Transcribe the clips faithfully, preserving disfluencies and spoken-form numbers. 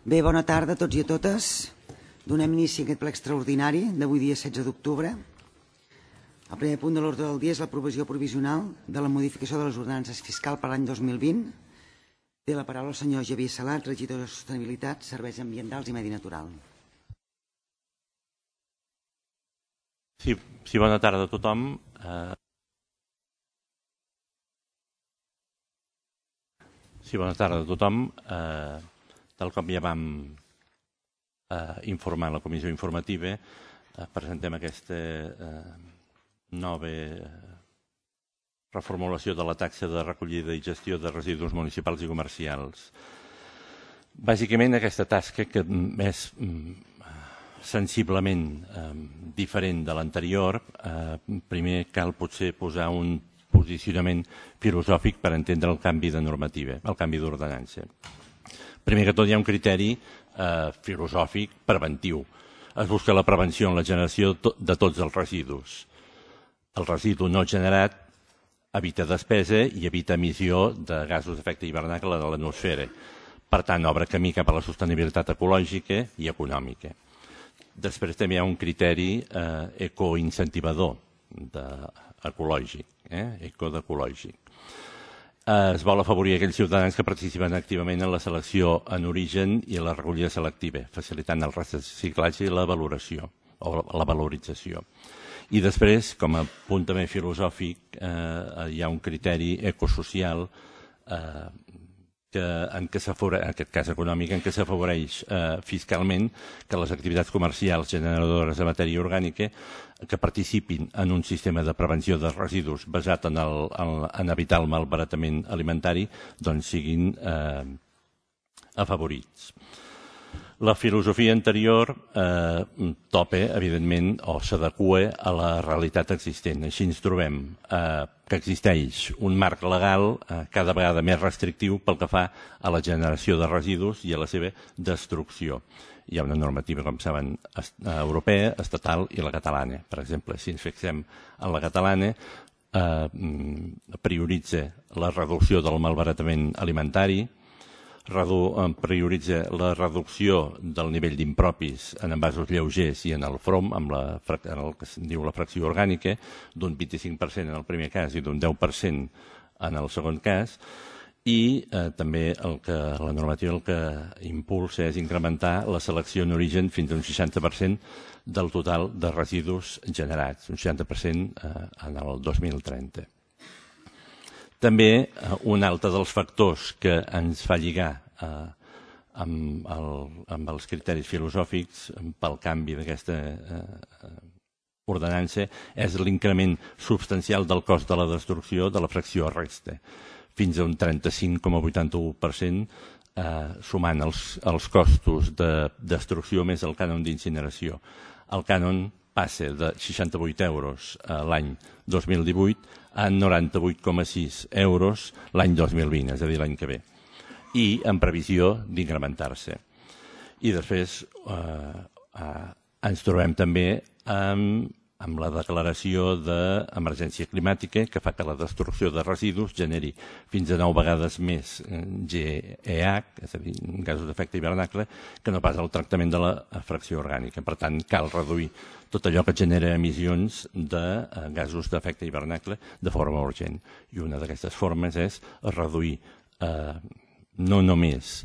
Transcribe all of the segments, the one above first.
Bé, bona tarda a tots i a totes. Donem inici a aquest ple extraordinari d'avui dia setze d'octubre. El primer punt de l'ordre del dia és l'aprovació provisional de la modificació de les ordenances fiscals per l'any dos mil vint. Té la paraula el senyor Javier Salat, regidor de Sostenibilitat, Serveis Ambientals i Medi Natural. Sí, sí, bona tarda a tothom. Eh... Sí, bona tarda a tothom. Eh... Tal com ja vam eh, informar a la comissió informativa, eh, presentem aquesta eh, nova eh, reformulació de la taxa de recollida i gestió de residus municipals i comercials. Bàsicament, aquesta tasca que és mm, sensiblement eh, diferent de l'anterior, eh, primer cal potser posar un posicionament filosòfic per entendre el canvi de normativa, el canvi d'ordenança. Primer que tot hi ha un criteri eh, filosòfic preventiu. Es busca la prevenció en la generació de tots els residus. El residu no generat evita despesa i evita emissió de gasos d'efecte hivernacle de l'atmosfera. Per tant, obre camí cap a la sostenibilitat ecològica i econòmica. Després també hi ha un criteri eh, ecoincentivador ecològic, eh, ecoecològic. Es vol afavorir aquells ciutadans que participen activament en la selecció en origen i la recollida selectiva, facilitant el reciclatge i la valoració o la valorització. I després, com a punt també filosòfic, eh, hi ha un criteri ecosocial eh, que, en, què en aquest cas econòmic, en què s'afavoreix eh, fiscalment que les activitats comercials generadores de matèria orgànica que participin en un sistema de prevenció de residus basat en, el, en, en evitar el malbaratament alimentari, doncs siguin eh, afavorits. La filosofia anterior eh, topa, evidentment, o s'adequa a la realitat existent. Així ens trobem eh, que existeix un marc legal eh, cada vegada més restrictiu pel que fa a la generació de residus i a la seva destrucció. Hi ha una normativa, com saben, europea, estatal i la catalana. Per exemple, si ens fixem en la catalana, eh, prioritza la reducció del malbaratament alimentari, Redu, prioritza la reducció del nivell d'impropis en envasos lleugers i en el F R O M, amb la, en el que es diu la fracció orgànica, d'un vint-i-cinc per cent en el primer cas i d'un deu per cent en el segon cas, i eh, també el que, la normativa el que impulsa és incrementar la selecció en origen fins a un seixanta per cent del total de residus generats, un seixanta per cent eh, en el dos mil trenta. També un altre dels factors que ens fa lligar eh, amb, el, amb els criteris filosòfics pel canvi d'aquesta eh, ordenança és l'increment substancial del cost de la destrucció de la fracció resta, fins a un trenta-cinc coma vuitanta-u per cent, eh, sumant els, els costos de destrucció més el cànon d'incineració. El cànon passa de seixanta-vuit euros l'any dos mil divuit a noranta-vuit coma sis euros l'any dos mil vint, és a dir, l'any que ve, i en previsió d'incrementar-se. I després eh, eh, ens trobem també amb, amb la declaració d'emergència climàtica que fa que la destrucció de residus generi fins a nou vegades més G E H, és a dir, gasos d'efecte hivernacle, que no pas el tractament de la fracció orgànica. Per tant, cal reduir tot allò que genera emissions de gasos d'efecte hivernacle de forma urgent. I una d'aquestes formes és reduir eh, no només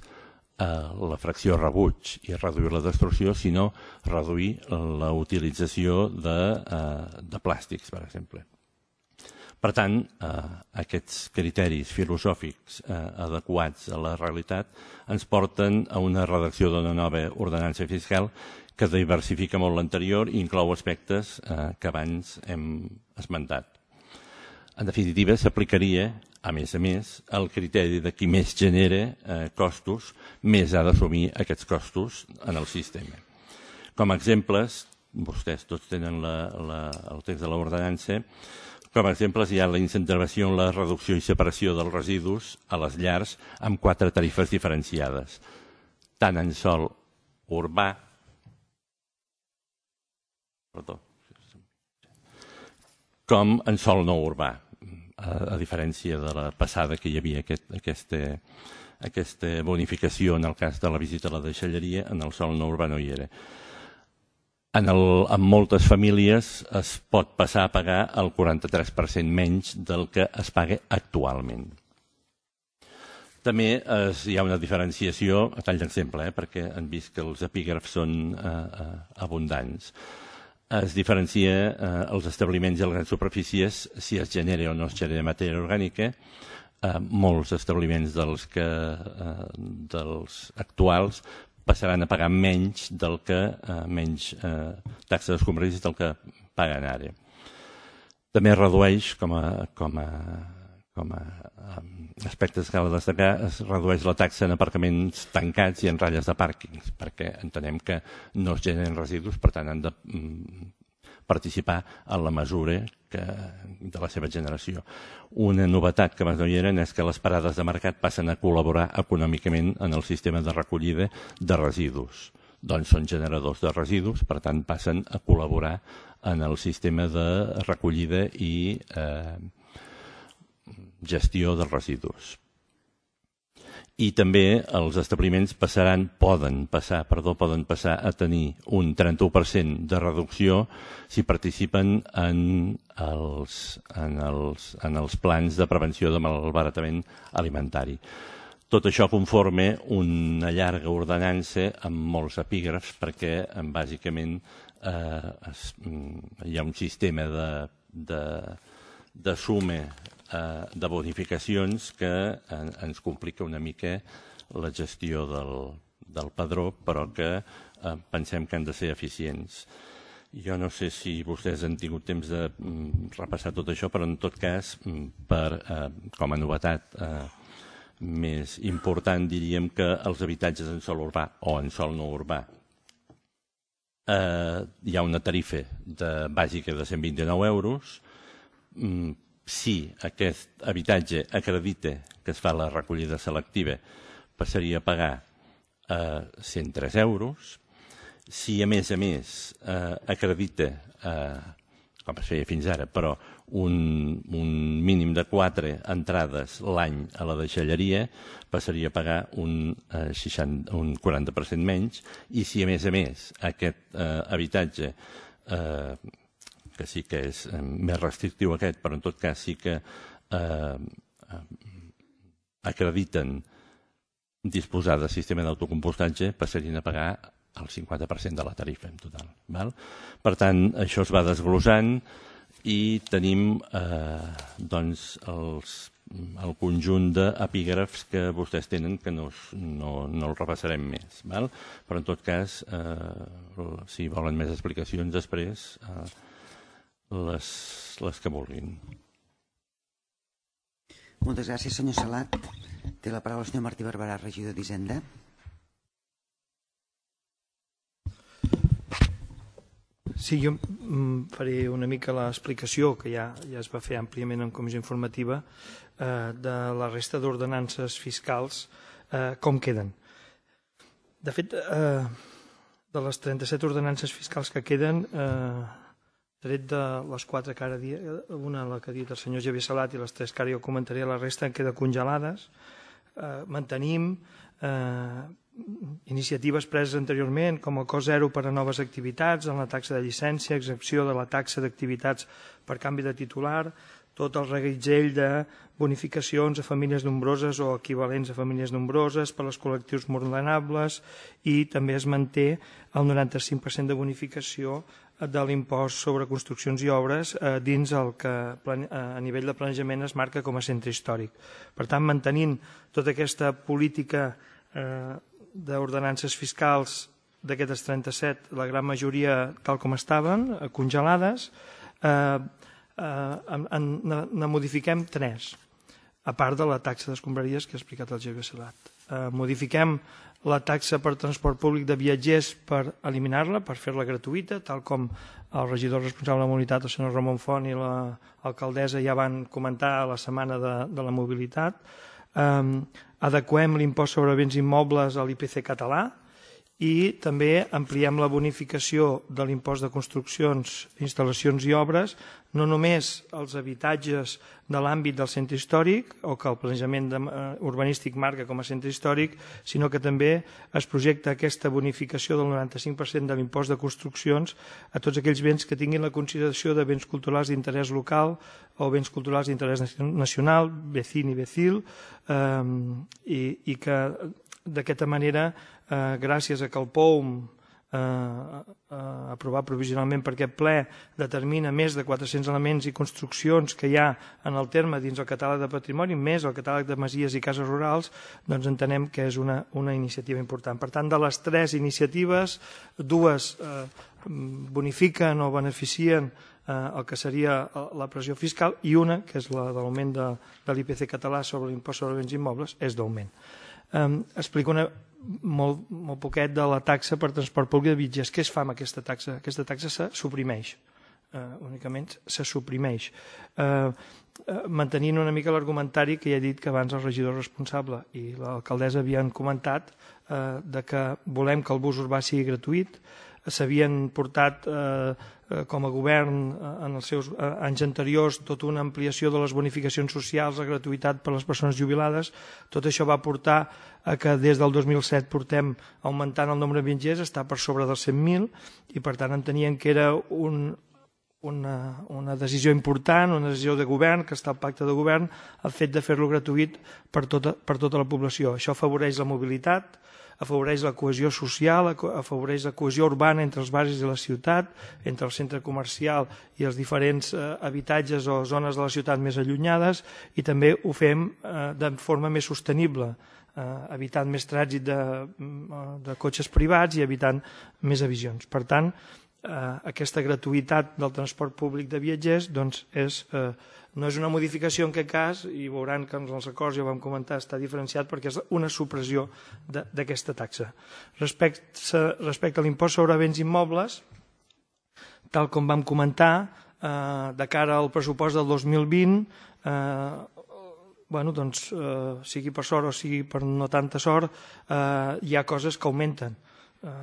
la fracció rebuig i reduir la destrucció, sinó reduir la utilització de, de plàstics, per exemple. Per tant, aquests criteris filosòfics adequats a la realitat ens porten a una redacció d'una nova ordenança fiscal que diversifica molt l'anterior i inclou aspectes que abans hem esmentat. En definitiva, s'aplicaria, a més a més, el criteri de qui més genera eh, costos, més ha d'assumir aquests costos en el sistema. Com a exemples, vostès tots tenen la, la, el text de l'ordenança, com a exemples hi ha la incentivació en la reducció i separació dels residus a les llars amb quatre tarifes diferenciades, tant en sòl urbà, perdó, com en sòl no urbà. A, a diferència de la passada que hi havia aquest, aquesta, aquesta bonificació en el cas de la visita a la deixalleria, en el sòl no urbà no hi era. En, el, en moltes famílies es pot passar a pagar el quaranta-tres per cent menys del que es paga actualment. També es, hi ha una diferenciació, a tall d'exemple, eh, perquè han vist que els epígrafs són eh, eh, abundants. Es diferencia eh, els establiments i les grans superfícies si es genera o no es genera matèria orgànica. Eh, molts establiments dels, que, eh, dels actuals passaran a pagar menys del que eh, menys eh, taxa d'escombraries del que paguen ara. També es redueix, com a, com a, com a aspectes que cal destacar, es redueix la taxa en aparcaments tancats i en ratlles de pàrquings, perquè entenem que no es generen residus, per tant han de mm, participar en la mesura que, de la seva generació. Una novetat que abans no hi eren és que les parades de mercat passen a col·laborar econòmicament en el sistema de recollida de residus. Doncs són generadors de residus, per tant passen a col·laborar en el sistema de recollida i eh, gestió de residus. I també els establiments passaran, poden passar, perdó, poden passar a tenir un trenta-u per cent de reducció si participen en els, en els, en els plans de prevenció de malbaratament alimentari. Tot això conforma una llarga ordenança amb molts epígrafs perquè bàsicament eh, es, hi ha un sistema de, de, de suma de bonificacions que ens complica una mica la gestió del, del padró, però que eh, pensem que han de ser eficients. Jo no sé si vostès han tingut temps de mm, repassar tot això, però en tot cas, per, eh, com a novetat eh, més important, diríem que els habitatges en sòl urbà o en sòl no urbà eh, hi ha una tarifa de, bàsica de cent vint-i-nou euros. Mm, Si aquest habitatge acredita que es fa la recollida selectiva, passaria a pagar eh, cent tres euros. Si, a més a més, eh, acredita, eh, com es feia fins ara, però un, un mínim de quatre entrades l'any a la deixalleria, passaria a pagar un, eh, seixanta, un quaranta per cent menys. I si, a més a més, aquest eh, habitatge eh, que sí que és eh, més restrictiu aquest, però en tot cas sí que eh, eh, acrediten disposar de sistema d'autocompostatge, passarien a pagar el cinquanta per cent de la tarifa en total. Val? Per tant, això es va desglossant i tenim eh, doncs els, el conjunt d'epígrafs que vostès tenen, que no, no, no el repassarem més. Val? Però en tot cas, eh, si volen més explicacions després, eh, Les, les que vulguin. Moltes gràcies, senyor Salat. Té la paraula el senyor Martí Barberà, regidor d'Hisenda. Sí, jo faré una mica l'explicació, que ja, ja es va fer àmpliament en comissió informativa, eh, de la resta d'ordenances fiscals, eh, com queden. De fet, eh, de les trenta-set ordenances fiscals que queden, eh, tret de les quatre que ara dia, una la que ha dit el senyor Javier Salat i les tres que ara jo comentaré, la resta en queda congelades. Eh, mantenim eh, iniciatives preses anteriorment com el cost zero per a noves activitats, en la taxa de llicència, excepció de la taxa d'activitats per canvi de titular, tot el reguitzell de bonificacions a famílies nombroses o equivalents a famílies nombroses per als col·lectius vulnerables, i també es manté el noranta-cinc per cent de bonificació de l'impost sobre construccions i obres eh, dins el que a nivell de planejament es marca com a centre històric. Per tant, mantenint tota aquesta política eh, d'ordenances fiscals d'aquestes trenta-set, la gran majoria tal com estaven, eh, congelades, eh, eh, en, en, ne modifiquem tres, a part de la taxa d'escombraries que ha explicat el Javier Salat. Eh, modifiquem la taxa per transport públic de viatgers per eliminar-la, per fer-la gratuïta, tal com el regidor responsable de la mobilitat, el senyor Ramon Font, i l'alcaldessa ja van comentar a la setmana de, de la mobilitat. Eh, adequem l'impost sobre béns immobles a l'I P C català i també ampliem la bonificació de l'impost de construccions, instal·lacions i obres, no només als habitatges de l'àmbit del centre històric o que el planejament urbanístic marca com a centre històric, sinó que també es projecta aquesta bonificació del noranta-cinc per cent de l'impost de construccions a tots aquells béns que tinguin la consideració de béns culturals d'interès local o béns culturals d'interès nacional, vecin i vecil, eh, i, i que d'aquesta manera, eh, gràcies a que el P O U M eh, eh, aprovat provisionalment per aquest ple determina més de quatre-cents elements i construccions que hi ha en el terme dins el catàleg de patrimoni, més el catàleg de masies i cases rurals, doncs entenem que és una, una iniciativa important. Per tant, de les tres iniciatives, dues eh, bonifiquen o beneficien eh, el que seria la pressió fiscal i una, que és la de l'augment de, de l'I P C català sobre l'impost sobre béns immobles, és d'augment. Um, explico una, molt, molt poquet de la taxa per transport públic de viatgers. Què es fa amb aquesta taxa? Aquesta taxa se suprimeix, uh, únicament se suprimeix. Uh, uh, mantenint una mica l'argumentari que ja he dit que abans el regidor responsable i l'alcaldessa havien comentat uh, de que volem que el bus urbà sigui gratuït. S'havien portat eh, com a govern en els seus anys anteriors tota una ampliació de les bonificacions socials, la gratuïtat per a les persones jubilades. Tot això va portar a que des del dos mil set portem augmentant el nombre de viatgers, està per sobre dels cent mil, i per tant entenien que era un, una, una decisió important, una decisió de govern, que està al pacte de govern, el fet de fer-lo gratuït per tota, per tota la població. Això afavoreix la mobilitat, afavoreix la cohesió social, afavoreix la cohesió urbana entre els barris de la ciutat, entre el centre comercial i els diferents eh, habitatges o zones de la ciutat més allunyades, i també ho fem eh, de forma més sostenible, eh, evitant més trànsit de, de cotxes privats i evitant més emissions. Per tant, eh, aquesta gratuïtat del transport públic de viatgers doncs és... Eh, no és una modificació en aquest cas, i veuran que en els acords ja ho vam comentar, està diferenciat perquè és una supressió d'aquesta taxa. Respecte, respecte a l'impost sobre béns immobles, tal com vam comentar, eh, de cara al pressupost del dos mil vint, eh, bueno, doncs, eh, sigui per sort o sigui per no tanta sort, eh, hi ha coses que augmenten.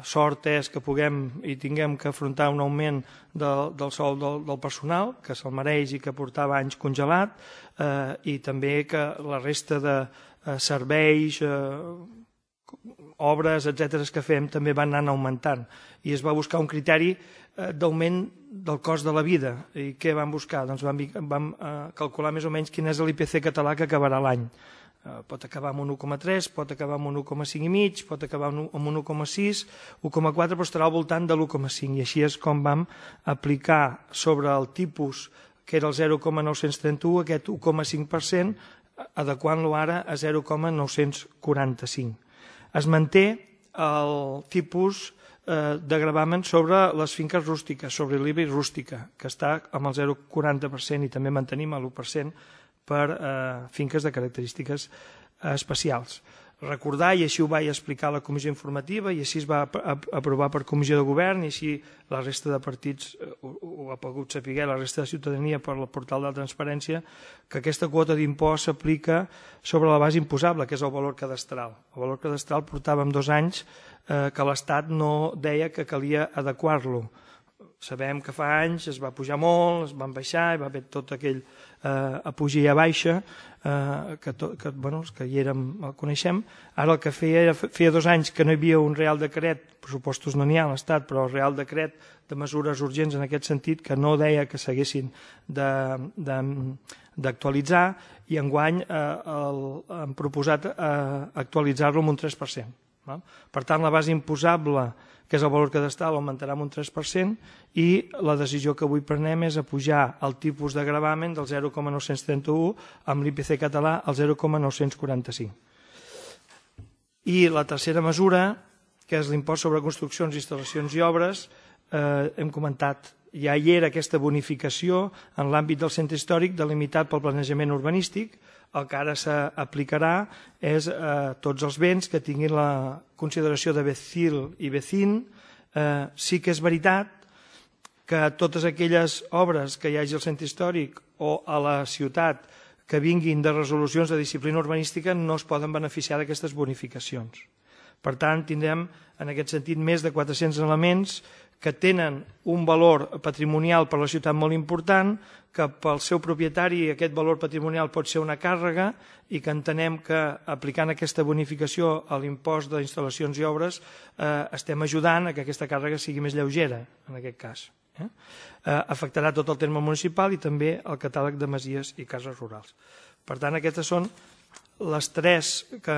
Sort és que puguem i tinguem que afrontar un augment del, del sou del, del personal, que se'l mereix i que portava anys congelat, eh, i també que la resta de eh, serveis, eh, obres, etcètera, que fem també van anar augmentant. I es va buscar un criteri eh, d'augment del cost de la vida. I què vam buscar? Doncs vam, vam eh, calcular més o menys quin és l'I P C català que acabarà l'any. Pot acabar amb un un coma tres, pot acabar amb un un coma cinc i mig, pot acabar amb un un coma sis, un coma quatre, però estarà al voltant de l'un coma cinc. I així és com vam aplicar sobre el tipus, que era el zero coma nou-cents trenta-u, aquest un coma cinc per cent, adequant-lo ara a zero coma nou-cents quaranta-cinc. Es manté el tipus eh, de gravamen sobre les finques rústiques, sobre l'I B I rústica, que està amb el zero coma quaranta per cent, i també mantenim l'u per cent per eh, finques de característiques eh, especials. Recordar, i així ho vaig explicar a la comissió informativa, i així es va aprovar per comissió de govern, i així la resta de partits eh, ho, ho ha pogut saber, la resta de ciutadania per el portal de la transparència, que aquesta quota d'impost s'aplica sobre la base imposable, que és el valor cadastral. El valor cadastral portàvem dos anys eh, que l'Estat no deia que calia adequar-lo. Sabem que fa anys es va pujar molt, es van baixar, hi va haver tot aquell eh, a pujar i a baixa, eh, que, to, que, bueno, que hi érem, el coneixem. Ara el que feia era, feia dos anys que no hi havia un real decret, pressupostos no n'hi ha a l'Estat, però el real decret de mesures urgents en aquest sentit, que no deia que s'haguessin d'actualitzar, i enguany eh, el, han proposat eh, actualitzar-lo amb un tres per cent. Val? Per tant, la base imposable, que és el valor cadastral, augmentarà amb un tres per cent, i la decisió que avui prenem és apujar el tipus de gravamen del zero coma nou-cents trenta-u amb l'I P C català al zero coma nou-cents quaranta-cinc. I la tercera mesura, que és l'impost sobre construccions, instal·lacions i obres, eh, hem comentat, ja hi era aquesta bonificació en l'àmbit del centre històric delimitat pel planejament urbanístic. El que ara s'aplicarà és eh, tots els béns que tinguin la consideració de vecil i vecin. Eh, sí que és veritat que totes aquelles obres que hi hagi al centre històric o a la ciutat que vinguin de resolucions de disciplina urbanística no es poden beneficiar d'aquestes bonificacions. Per tant, tindrem en aquest sentit més de quatre-cents elements que tenen un valor patrimonial per a la ciutat molt important, que pel seu propietari aquest valor patrimonial pot ser una càrrega i que entenem que aplicant aquesta bonificació a l'impost d'instal·lacions i obres estem ajudant a que aquesta càrrega sigui més lleugera, en aquest cas. Afectarà tot el terme municipal i també el catàleg de masies i cases rurals. Per tant, aquestes són les tres que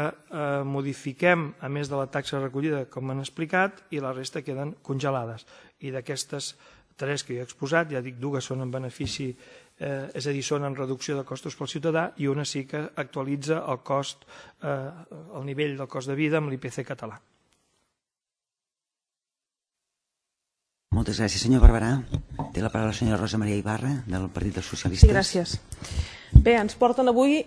modifiquem, a més de la taxa recollida, com han explicat, i la resta queden congelades. I d'aquestes tres que jo he exposat, ja dic, dues són en benefici, és a dir, són en reducció de costos pel ciutadà, i una sí que actualitza el cost, el nivell del cost de vida amb l'I P C català. Moltes gràcies, senyor Barberà. Té la paraula la senyora Rosa Maria Ibarra, del Partit dels Socialistes. Sí, gràcies. Bé, ens porten avui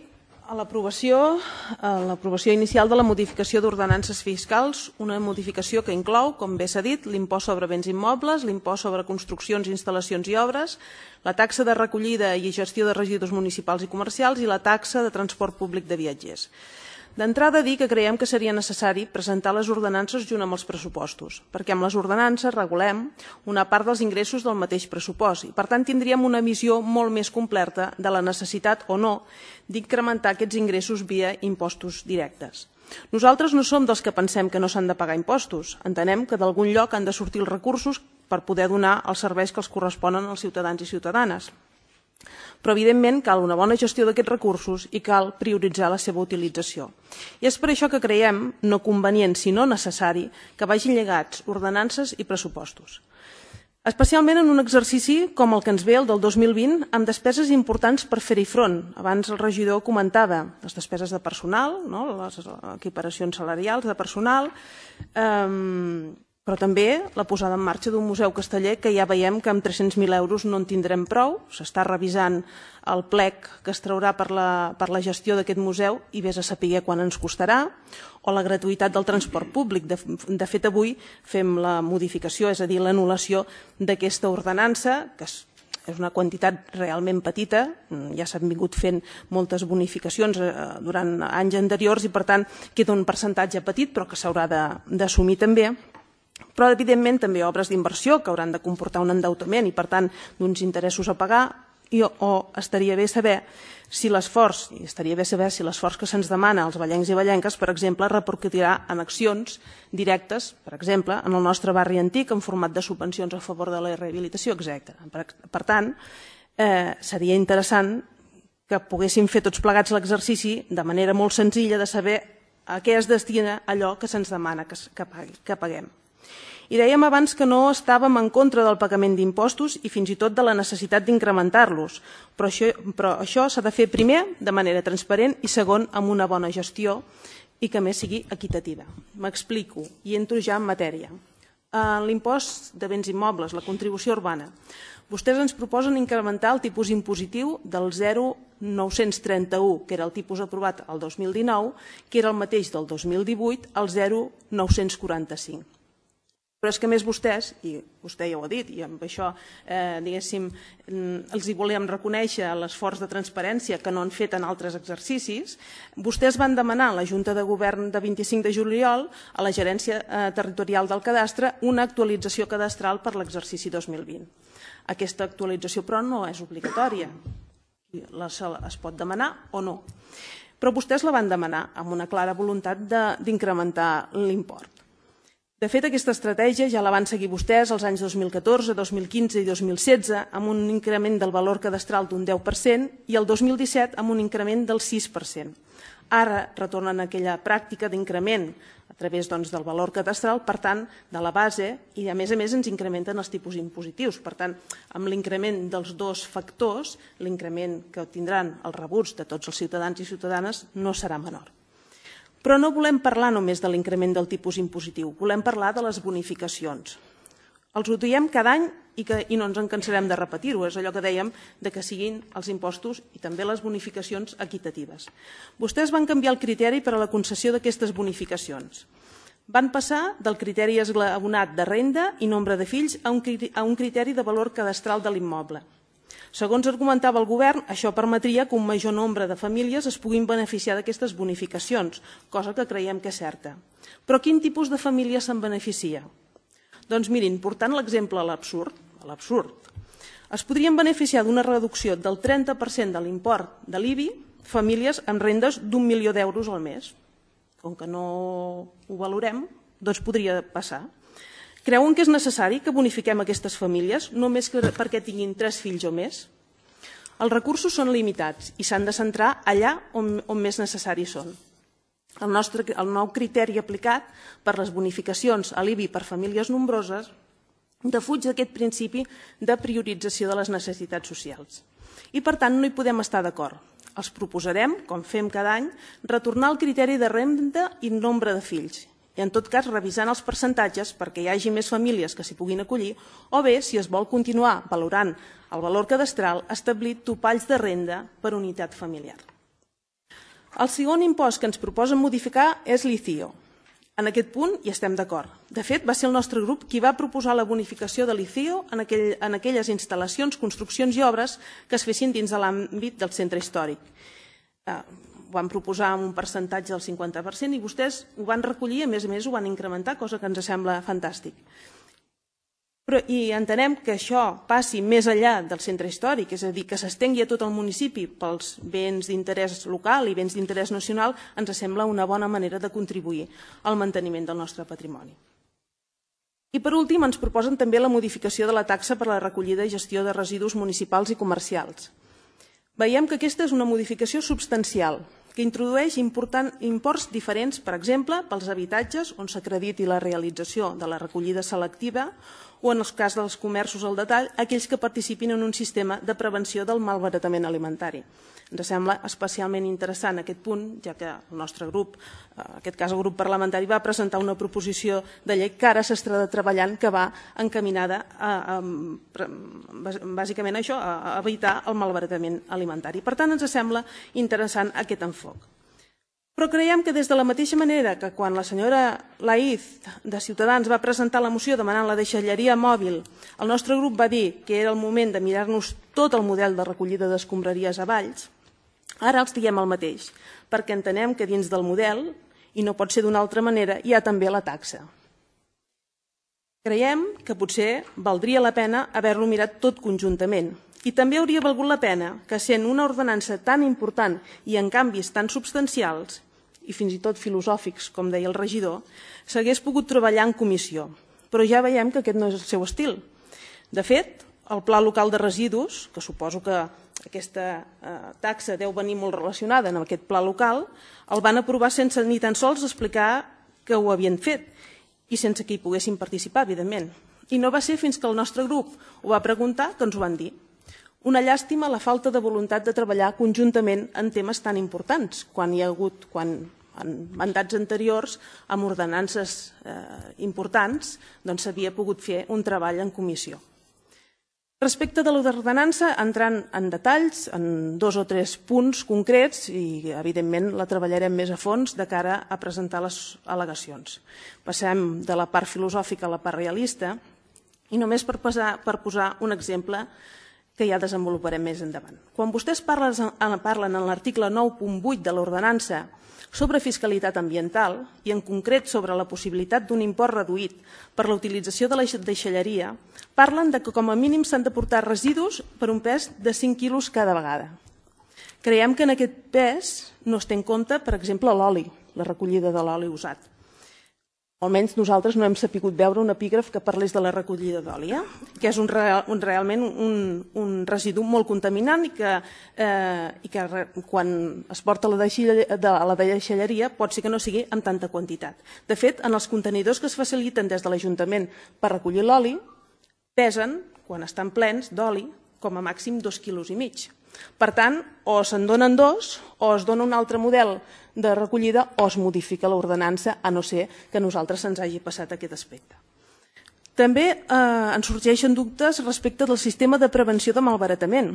a l'aprovació a l'aprovació inicial de la modificació d'ordenances fiscals, una modificació que inclou, com bé s'ha dit, l'impost sobre béns immobles, l'impost sobre construccions, instal·lacions i obres, la taxa de recollida i gestió de residus municipals i comercials i la taxa de transport públic de viatgers. D'entrada, dir que creiem que seria necessari presentar les ordenances junt amb els pressupostos, perquè amb les ordenances regulem una part dels ingressos del mateix pressupost i, per tant, tindríem una visió molt més completa de la necessitat o no d'incrementar aquests ingressos via impostos directes. Nosaltres no som dels que pensem que no s'han de pagar impostos. Entenem que d'algun lloc han de sortir els recursos per poder donar els serveis que els corresponen als ciutadans i ciutadanes. Però, evidentment, cal una bona gestió d'aquests recursos i cal prioritzar la seva utilització. I és per això que creiem no convenient, sinó necessari, que vagin lligats ordenances i pressupostos. Especialment en un exercici com el que ens ve, el del dos mil vint, amb despeses importants per fer-hi front. Abans el regidor comentava les despeses de personal, les equiparacions salarials de personal, però també la posada en marxa d'un museu casteller que ja veiem que amb tres-cents mil euros no en tindrem prou. S'està revisant el plec que es traurà per la gestió d'aquest museu i vés a saber quan ens costarà, o la gratuïtat del transport públic. De fet, avui fem la modificació, és a dir, l'anul·lació d'aquesta ordenança, que és una quantitat realment petita, ja s'han vingut fent moltes bonificacions durant anys anteriors i, per tant, queda un percentatge petit, però que s'haurà d'assumir també. Però, evidentment, també obres d'inversió que hauran de comportar un endeutament i, per tant, d'uns interessos a pagar, o estaria bé saber si l'esforç, i estaria bé saber si l'esforç que se'ns demana als vallencs i vallenques, per exemple, repercutirà en accions directes, per exemple, en el nostre barri antic, en format de subvencions a favor de la rehabilitació, etcètera. Per tant, seria interessant que poguéssim fer tots plegats l'exercici de manera molt senzilla de saber a què es destina allò que se'ns demana que paguem. I dèiem abans que no estàvem en contra del pagament d'impostos i fins i tot de la necessitat d'incrementar-los, però això s'ha de fer primer de manera transparent i segon amb una bona gestió i que més sigui equitativa. M'explico i entro ja en matèria. L'impost de béns immobles, la contribució urbana. Vostès ens proposen incrementar el tipus impositiu del zero coma nou-cents trenta-u, que era el tipus aprovat el dos mil dinou, que era el mateix del dos mil divuit, al zero coma nou-cents quaranta-cinc. Però és que més vostès, i vostè ja ho ha dit, i amb això, diguéssim, els hi volem reconèixer l'esforç de transparència que no han fet en altres exercicis, vostès van demanar a la Junta de Govern de vint-i-cinc de juliol a la Gerència Territorial del Cadastre una actualització cadastral per l'exercici dos mil vint. Aquesta actualització, però, no és obligatòria. Es pot demanar o no. Però vostès la van demanar amb una clara voluntat d'incrementar l'import. De fet, aquesta estratègia ja la van seguir vostès els anys dos mil catorze, dos mil quinze i dos mil setze amb un increment del valor cadastral d'un deu per cent i el dos mil disset amb un increment del sis per cent. Ara retornen a aquella pràctica d'increment a través del valor cadastral, per tant, de la base, i a més a més ens incrementen els tipus impositius. Per tant, amb l'increment dels dos factors, l'increment que tindran els rebuts de tots els ciutadans i ciutadanes no serà menor. Però no volem parlar només de l'increment del tipus impositiu, volem parlar de les bonificacions. Els ho diem cada any i no ens en cansarem de repetir-ho, és allò que dèiem que siguin els impostos i també les bonificacions equitatives. Vostès van canviar el criteri per a la concessió d'aquestes bonificacions. Van passar del criteri esglaonat de renda i nombre de fills a un criteri de valor cadastral de l'immoble. Segons argumentava el govern, això permetria que un major nombre de famílies es puguin beneficiar d'aquestes bonificacions, cosa que creiem que és certa. Però quin tipus de família se'n beneficia? Doncs mirin, portant l'exemple a l'absurd, a l'absurd, es podrien beneficiar d'una reducció del trenta per cent de l'import de l'I B I famílies amb rendes d'un milió d'euros al mes. Com que no ho valorem, doncs podria passar. Creuen que és necessari que bonifiquem aquestes famílies només perquè tinguin tres fills o més? Els recursos són limitats i s'han de centrar allà on, on més necessaris són. El, nostre, el nou criteri aplicat per les bonificacions a l'I B I per famílies nombroses defuig d'aquest principi de priorització de les necessitats socials. I, per tant, no hi podem estar d'acord. Els proposarem, com fem cada any, retornar al criteri de renda i nombre de fills, i en tot cas revisant els percentatges perquè hi hagi més famílies que s'hi puguin acollir, o bé, si es vol continuar valorant el valor cadastral, establir topalls de renda per unitat familiar. El segon impost que ens proposen modificar és l'I C I O. En aquest punt hi estem d'acord. De fet, va ser el nostre grup qui va proposar la bonificació de l'I C I O en, aquell, en aquelles instal·lacions, construccions i obres que es fessin dins de l'àmbit del centre històric. Eh, ho van proposar amb un percentatge del cinquanta per cent i vostès ho van recollir i, a més a més, ho van incrementar, cosa que ens sembla fantàstic. Però, I entenem que això passi més enllà del centre històric, és a dir, que s'estengui a tot el municipi pels béns d'interès local i béns d'interès nacional, ens sembla una bona manera de contribuir al manteniment del nostre patrimoni. I per últim ens proposen també la modificació de la taxa per a la recollida i gestió de residus municipals i comercials. Veiem que aquesta és una modificació substancial, que introdueix important, imports diferents, per exemple, pels habitatges on s'acrediti la realització de la recollida selectiva o, en el cas dels comerços al detall, aquells que participin en un sistema de prevenció del malbaratament alimentari. Ens sembla especialment interessant aquest punt, ja que el nostre grup, en aquest cas el grup parlamentari, va presentar una proposició de llei que ara s'estarà treballant, que va encaminada a, a, bàsicament a això, a evitar el malbaratament alimentari. Per tant, ens sembla interessant aquest enfoc. Però creiem que des de la mateixa manera que quan la senyora Laïz de Ciutadans va presentar la moció demanant la deixalleria mòbil, el nostre grup va dir que era el moment de mirar-nos tot el model de recollida d'escombraries a Valls, ara els diem el mateix, perquè entenem que dins del model, i no pot ser d'una altra manera, hi ha també la taxa. Creiem que potser valdria la pena haver-lo mirat tot conjuntament, i també hauria valgut la pena que, sent una ordenança tan important i en canvis tan substancials, i fins i tot filosòfics, com deia el regidor, s'hagués pogut treballar en comissió. Però ja veiem que aquest no és el seu estil. De fet, el Pla Local de Residus, que suposo que aquesta taxa deu venir molt relacionada amb aquest pla local, el van aprovar sense ni tan sols explicar que ho havien fet i sense que hi poguessin participar, evidentment. I no va ser fins que el nostre grup ho va preguntar que ens ho van dir. Una llàstima la falta de voluntat de treballar conjuntament en temes tan importants, quan hi ha hagut, quan en mandats anteriors, amb ordenances eh, importants, doncs s'havia pogut fer un treball en comissió. Respecte de l'ordenança, entrant en detalls, en dos o tres punts concrets, i evidentment la treballarem més a fons de cara a presentar les al·legacions. Passem de la part filosòfica a la part realista, i només per posar, per posar un exemple que ja desenvoluparem més endavant. Quan vostès parlen, parlen en l'article nou punt vuit de l'ordenança sobre fiscalitat ambiental i en concret sobre la possibilitat d'un import reduït per la utilització de la deixalleria, parlen de que com a mínim s'han de portar residus per un pes de cinc quilos cada vegada. Creiem que en aquest pes no es té en compte, per exemple, l'oli, la recollida de l'oli usat. Almenys nosaltres no hem sapigut veure un epígraf que parlés de la recollida d'oli, eh? que és un, real, un, realment un, un residu molt contaminant i que, eh, i que quan es porta a la, de, a la deixalleria pot ser que no sigui en tanta quantitat. De fet, en els contenidors que es faciliten des de l'Ajuntament per recollir l'oli, pesen, quan estan plens d'oli, com a màxim dos quilos i mig. Per tant, o se'n donen dos, o es dona un altre model de recollida, o es modifica l'ordenança, a no ser que a nosaltres se'ns hagi passat aquest aspecte. També eh, ens sorgeixen dubtes respecte del sistema de prevenció de malbaratament.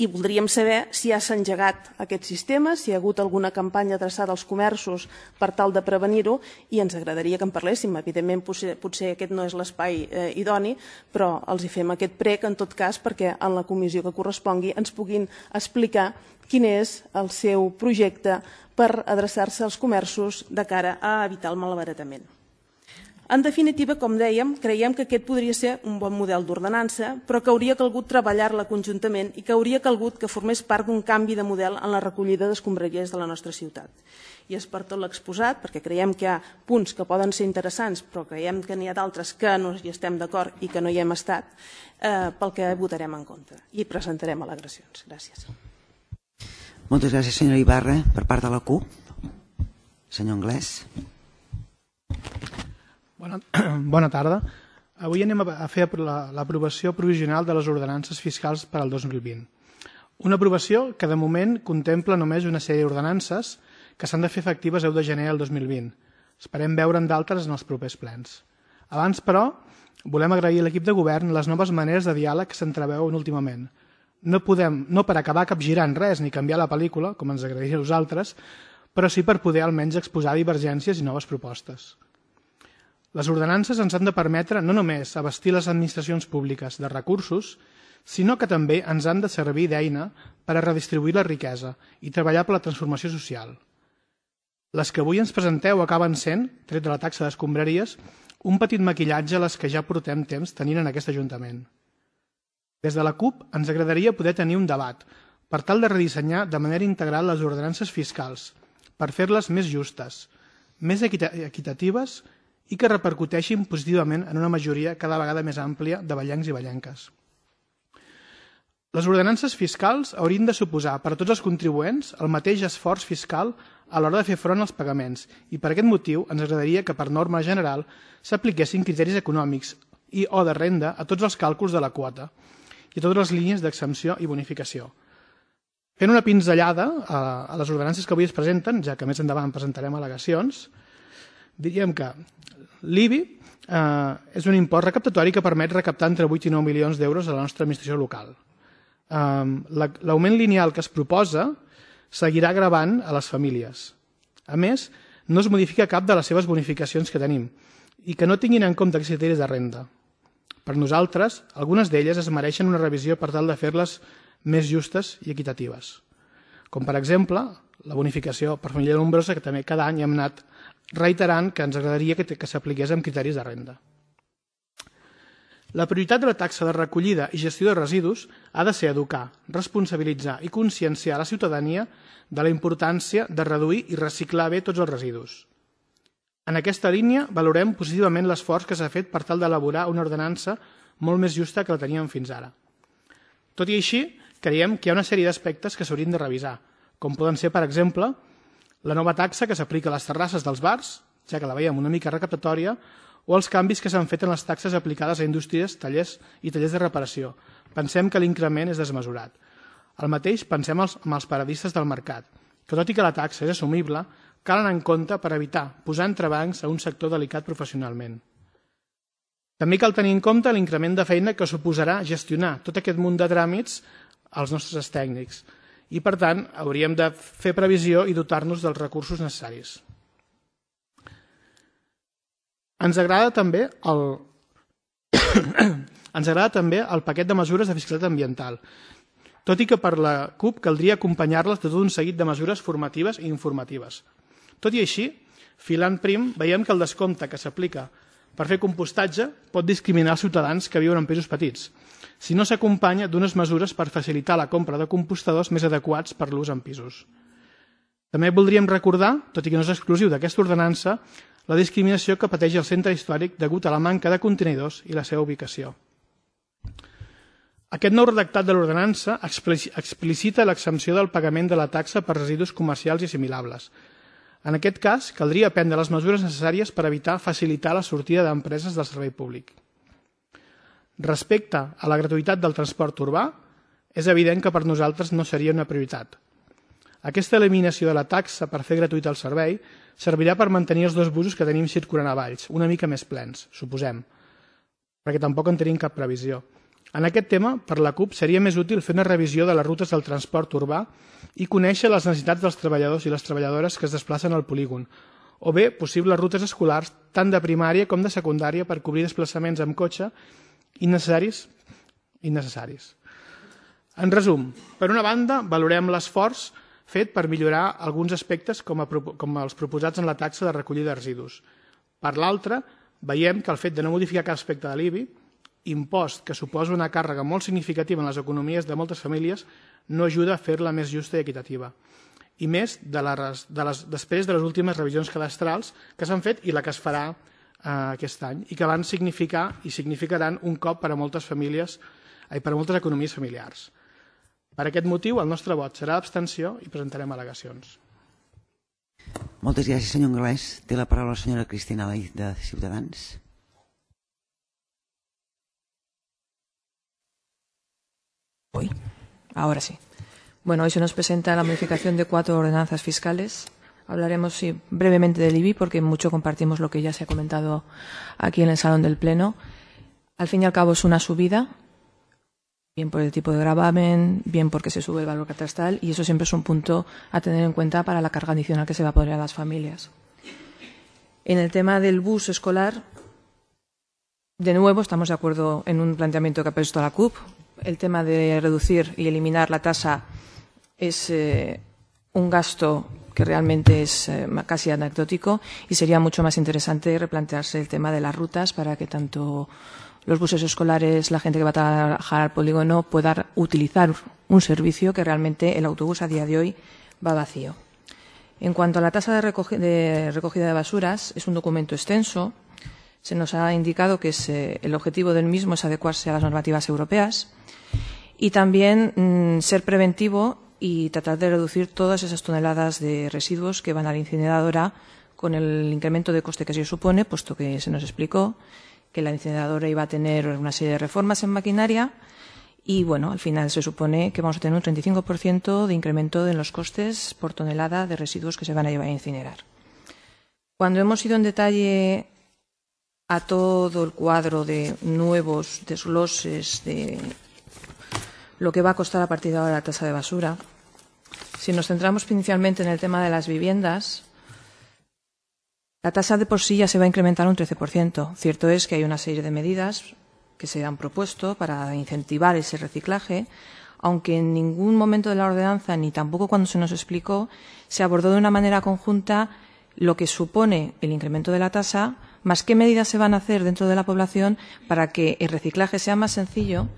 I voldríem saber si ja s'ha engegat aquest sistema, si hi ha hagut alguna campanya adreçada als comerços per tal de prevenir-ho, i ens agradaria que en parléssim. Evidentment, potser, potser aquest no és l'espai eh, idoni, però els hi fem aquest prec, en tot cas, perquè en la comissió que correspongui ens puguin explicar quin és el seu projecte per adreçar-se als comerços de cara a evitar el malbaratament. En definitiva, com dèiem, creiem que aquest podria ser un bon model d'ordenança, però que hauria calgut treballar-la conjuntament i que hauria calgut que formés part d'un canvi de model en la recollida d'escombraries de la nostra ciutat. I és per tot l'exposat, perquè creiem que hi ha punts que poden ser interessants, però creiem que n'hi ha d'altres que no hi estem d'acord i que no hi hem estat, eh, pel que votarem en contra i presentarem al·legacions. Gràcies. Moltes gràcies, senyora Ibarra. Per part de la C U P, senyor Anglès. Bona, bona tarda. Avui anem a fer l'aprovació provisional de les ordenances fiscals per al dos mil vint. Una aprovació que de moment contempla només una sèrie d'ordenances que s'han de fer efectives el deu de gener del dos mil vint. Esperem veure'n d'altres en els propers plens. Abans, però, volem agrair a l'equip de govern les noves maneres de diàleg que s'entreveuen últimament. No podem, no per acabar capgirant res ni canviar la pel·lícula, com ens agradaria a nosaltres, però sí per poder almenys exposar divergències i noves propostes. Les ordenances ens han de permetre no només abastir les administracions públiques de recursos, sinó que també ens han de servir d'eina per a redistribuir la riquesa i treballar per la transformació social. Les que avui ens presenteu acaben sent, tret de la taxa d'escombraries, un petit maquillatge a les que ja portem temps tenint en aquest Ajuntament. Des de la C U P ens agradaria poder tenir un debat per tal de redissenyar de manera integral les ordenances fiscals, per fer-les més justes, més equitatives i que repercuteixin positivament en una majoria cada vegada més àmplia de vallencs i vallenques. Les ordenances fiscals haurien de suposar per a tots els contribuents el mateix esforç fiscal a l'hora de fer front als pagaments i per aquest motiu ens agradaria que per norma general s'apliquessin criteris econòmics i o de renda a tots els càlculs de la quota i a totes les línies d'exempció i bonificació. Fent una pinzellada a les ordenances que avui es presenten, ja que més endavant presentarem al·legacions, diríem que l'I B I eh, és un impost recaptatori que permet recaptar entre vuit i nou milions d'euros a la nostra administració local. Eh, L'augment lineal que es proposa seguirà gravant a les famílies. A més, no es modifica cap de les seves bonificacions que tenim i que no tinguin en compte els criteris de renda. Per nosaltres, algunes d'elles es mereixen una revisió per tal de fer-les més justes i equitatives. Com per exemple, la bonificació per família nombrosa, que també cada any hem anat reiterant que ens agradaria que, que s'apliqués amb criteris de renda. La prioritat de la taxa de recollida i gestió de residus ha de ser educar, responsabilitzar i conscienciar la ciutadania de la importància de reduir i reciclar bé tots els residus. En aquesta línia valorem positivament l'esforç que s'ha fet per tal d'elaborar una ordenança molt més justa que la teníem fins ara. Tot i així, creiem que hi ha una sèrie d'aspectes que s'haurien de revisar, com poden ser, per exemple, la nova taxa que s'aplica a les terrasses dels bars, ja que la veiem una mica recaptatòria, o els canvis que s'han fet en les taxes aplicades a indústries, tallers i tallers de reparació. Pensem que l'increment és desmesurat. El mateix pensem amb els paradistes del mercat, que tot i que la taxa és assumible, cal anar en compte per evitar posar entrebancs a un sector delicat professionalment. També cal tenir en compte l'increment de feina que suposarà gestionar tot aquest munt de tràmits als nostres tècnics, i, per tant, hauríem de fer previsió i dotar-nos dels recursos necessaris. Ens agrada també el, ens agrada també el paquet de mesures de fiscalitat ambiental, tot i que per la C U P caldria acompanyar-les de tot un seguit de mesures formatives i informatives. Tot i així, filant prim, veiem que el descompte que s'aplica per fer compostatge pot discriminar els ciutadans que viuen en pisos petits, si no s'acompanya d'unes mesures per facilitar la compra de compostadors més adequats per l'ús en pisos. També voldríem recordar, tot i que no és exclusiu d'aquesta ordenança, la discriminació que pateix el centre històric degut a la manca de contenidors i la seva ubicació. Aquest nou redactat de l'ordenança explicita l'exempció del pagament de la taxa per residus comercials i assimilables. En aquest cas, caldria prendre les mesures necessàries per evitar facilitar la sortida d'empreses del servei públic. Respecte a la gratuïtat del transport urbà, és evident que per nosaltres no seria una prioritat. Aquesta eliminació de la taxa per fer gratuït el servei servirà per mantenir els dos busos que tenim circulant a Valls, una mica més plens, suposem, perquè tampoc en tenim cap previsió. En aquest tema, per la CUP, seria més útil fer una revisió de les rutes del transport urbà i conèixer les necessitats dels treballadors i les treballadores que es desplacen al polígon, o bé possibles rutes escolars tant de primària com de secundària per cobrir desplaçaments amb cotxe innecessaris. innecessaris. En resum, per una banda, valorem l'esforç fet per millorar alguns aspectes com, a, com els proposats en la taxa de recollida de residus. Per l'altra, veiem que el fet de no modificar cap aspecte de l'I B I, impost que suposa una càrrega molt significativa en les economies de moltes famílies, no ajuda a fer-la més justa i equitativa. I més de les, de les, després de les últimes revisions cadastrals que s'han fet i la que es farà eh, aquest any i que van significar i significaran un cop per a moltes famílies i per a moltes economies familiars. Per aquest motiu, el nostre vot serà d'abstenció i presentarem al·legacions. Moltes gràcies, senyor Anglès. Té la paraula la senyora Cristina Lai, de Ciutadans. Hoy, ahora sí. Bueno, hoy se nos presenta la modificación de cuatro ordenanzas fiscales. Hablaremos sí, brevemente del I B I porque mucho compartimos lo que ya se ha comentado aquí en el Salón del Pleno. Al fin y al cabo es una subida, bien por el tipo de gravamen, bien porque se sube el valor catastral y eso siempre es un punto a tener en cuenta para la carga adicional que se va a poner a las familias. En el tema del bus escolar, de nuevo estamos de acuerdo en un planteamiento que ha puesto la CUP. El tema de reducir y eliminar la tasa es eh, un gasto que realmente es eh, casi anecdótico y sería mucho más interesante replantearse el tema de las rutas para que tanto los buses escolares, la gente que va a trabajar al polígono pueda utilizar un servicio que realmente el autobús a día de hoy va vacío. En cuanto a la tasa de, recogi de recogida de basuras, es un documento extenso. Se nos ha indicado que es, eh, el objetivo del mismo es adecuarse a las normativas europeas y también mmm, ser preventivo y tratar de reducir todas esas toneladas de residuos que van a la incineradora con el incremento de coste que se supone, puesto que se nos explicó que la incineradora iba a tener una serie de reformas en maquinaria y, bueno, al final se supone que vamos a tener un treinta y cinco por ciento de incremento en los costes por tonelada de residuos que se van a llevar a incinerar. Cuando hemos ido en detalle a todo el cuadro de nuevos desgloses de lo que va a costar a partir de ahora la tasa de basura, si nos centramos principalmente en el tema de las viviendas, la tasa de por sí ya se va a incrementar un trece por ciento. Cierto es que hay una serie de medidas que se han propuesto para incentivar ese reciclaje, aunque en ningún momento de la ordenanza, ni tampoco cuando se nos explicó, se abordó de una manera conjunta lo que supone el incremento de la tasa, más qué medidas se van a hacer dentro de la población para que el reciclaje sea más sencillo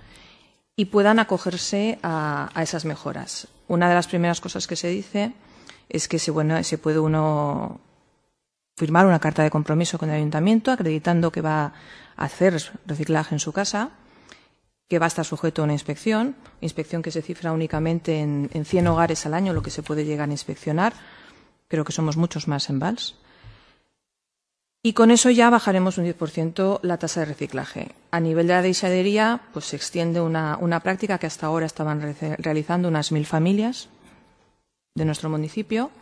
y puedan acogerse a, a esas mejoras. Una de las primeras cosas que se dice es que se, bueno, se puede uno firmar una carta de compromiso con el ayuntamiento acreditando que va a hacer reciclaje en su casa, que va a estar sujeto a una inspección, inspección que se cifra únicamente en, en cien hogares al año lo que se puede llegar a inspeccionar. Creo que somos muchos más en Valls. Y con eso ya bajaremos un diez por ciento la tasa de reciclaje. A nivel de la deixadería, pues se extiende una, una práctica que hasta ahora estaban re realizando unas mil familias de nuestro municipio.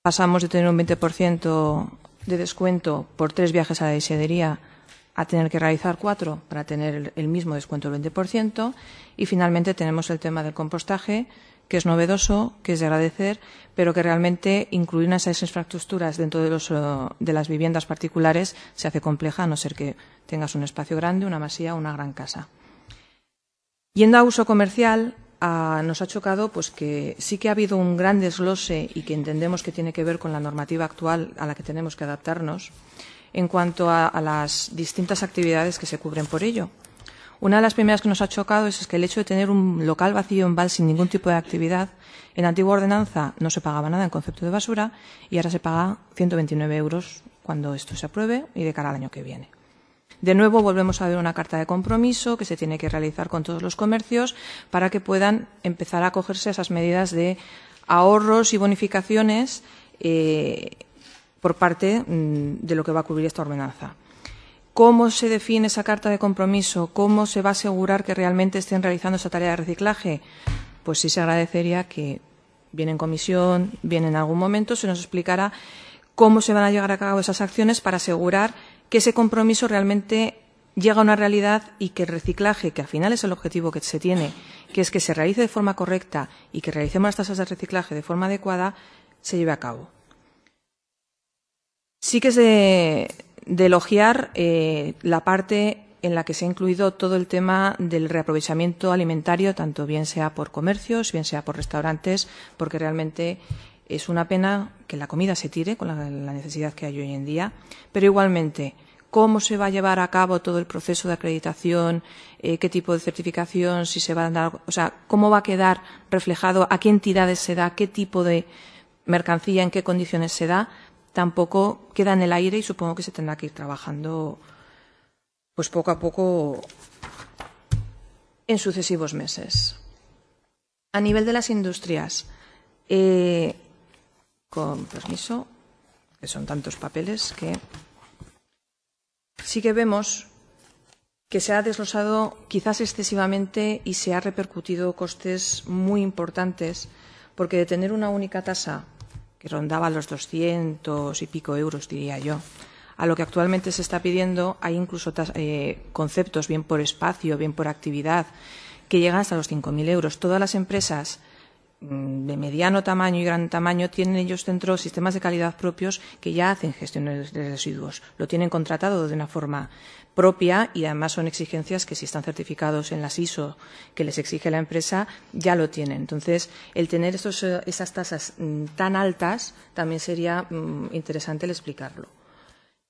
Pasamos de tener un veinte por ciento de descuento por tres viajes a la deixadería a tener que realizar cuatro para tener el mismo descuento del veinte por ciento. Y finalmente tenemos el tema del compostaje, que es novedoso, que es de agradecer, pero que realmente incluir esas infraestructuras dentro de, los, de las viviendas particulares se hace compleja, a no ser que tengas un espacio grande, una masía o una gran casa. Yendo a uso comercial, a, nos ha chocado pues, que sí que ha habido un gran desglose y que entendemos que tiene que ver con la normativa actual a la que tenemos que adaptarnos en cuanto a, a las distintas actividades que se cubren por ello. Una de las primeras que nos ha chocado es que el hecho de tener un local vacío en Valls sin ningún tipo de actividad, en la antigua ordenanza no se pagaba nada en concepto de basura y ahora se paga ciento veintinueve euros cuando esto se apruebe y de cara al año que viene. De nuevo volvemos a ver una carta de compromiso que se tiene que realizar con todos los comercios para que puedan empezar a acogerse a esas medidas de ahorros y bonificaciones eh, por parte mmm, de lo que va a cubrir esta ordenanza. ¿Cómo se define esa carta de compromiso? ¿Cómo se va a asegurar que realmente estén realizando esa tarea de reciclaje? Pues sí se agradecería que, bien en comisión, bien en algún momento, se nos explicara cómo se van a llevar a cabo esas acciones para asegurar que ese compromiso realmente llega a una realidad y que el reciclaje, que al final es el objetivo que se tiene, que es que se realice de forma correcta y que realicemos las tasas de reciclaje de forma adecuada, se lleve a cabo. Sí que es de, de elogiar eh, la parte en la que se ha incluido todo el tema del reaprovechamiento alimentario, tanto bien sea por comercios, bien sea por restaurantes, porque realmente es una pena que la comida se tire con la, la necesidad que hay hoy en día, pero igualmente cómo se va a llevar a cabo todo el proceso de acreditación, eh, qué tipo de certificación, si se va a dar, o sea, cómo va a quedar reflejado, a qué entidades se da, qué tipo de mercancía, en qué condiciones se da, tampoco queda en el aire y supongo que se tendrá que ir trabajando pues poco a poco en sucesivos meses. A nivel de las industrias, eh, con permiso, que son tantos papeles que sí que vemos que se ha desglosado quizás excesivamente y se ha repercutido costes muy importantes, porque de tener una única tasa que rondaba los doscientos y pico euros, diría yo, a lo que actualmente se está pidiendo, hay incluso eh, conceptos, bien por espacio, bien por actividad, que llegan hasta los cinco mil euros. Todas las empresas de mediano tamaño y gran tamaño tienen ellos dentro sistemas de calidad propios que ya hacen gestión de residuos. Lo tienen contratado de una forma propia y además son exigencias que si están certificados en las I S O que les exige la empresa, ya lo tienen. Entonces, el tener estos, esas tasas tan altas también sería mm, interesante el explicarlo.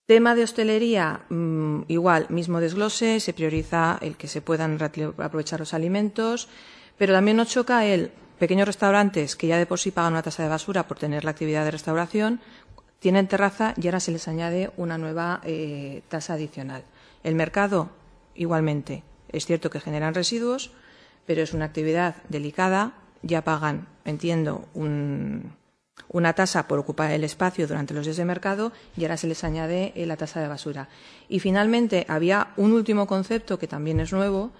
Tema de hostelería, mmm, igual, mismo desglose, se prioriza el que se puedan aprovechar los alimentos, pero también nos choca el pequeños restaurantes que ya de por sí pagan una tasa de basura por tener la actividad de restauración, tienen terraza y ahora se les añade una nueva eh, tasa adicional. El mercado, igualmente, es cierto que generan residuos, pero es una actividad delicada, ya pagan, entiendo, un... una tasa por ocupar el espacio durante los días de mercado y ahora se les añade la tasa de basura. Y finalmente había un último concepto que también es nuevo,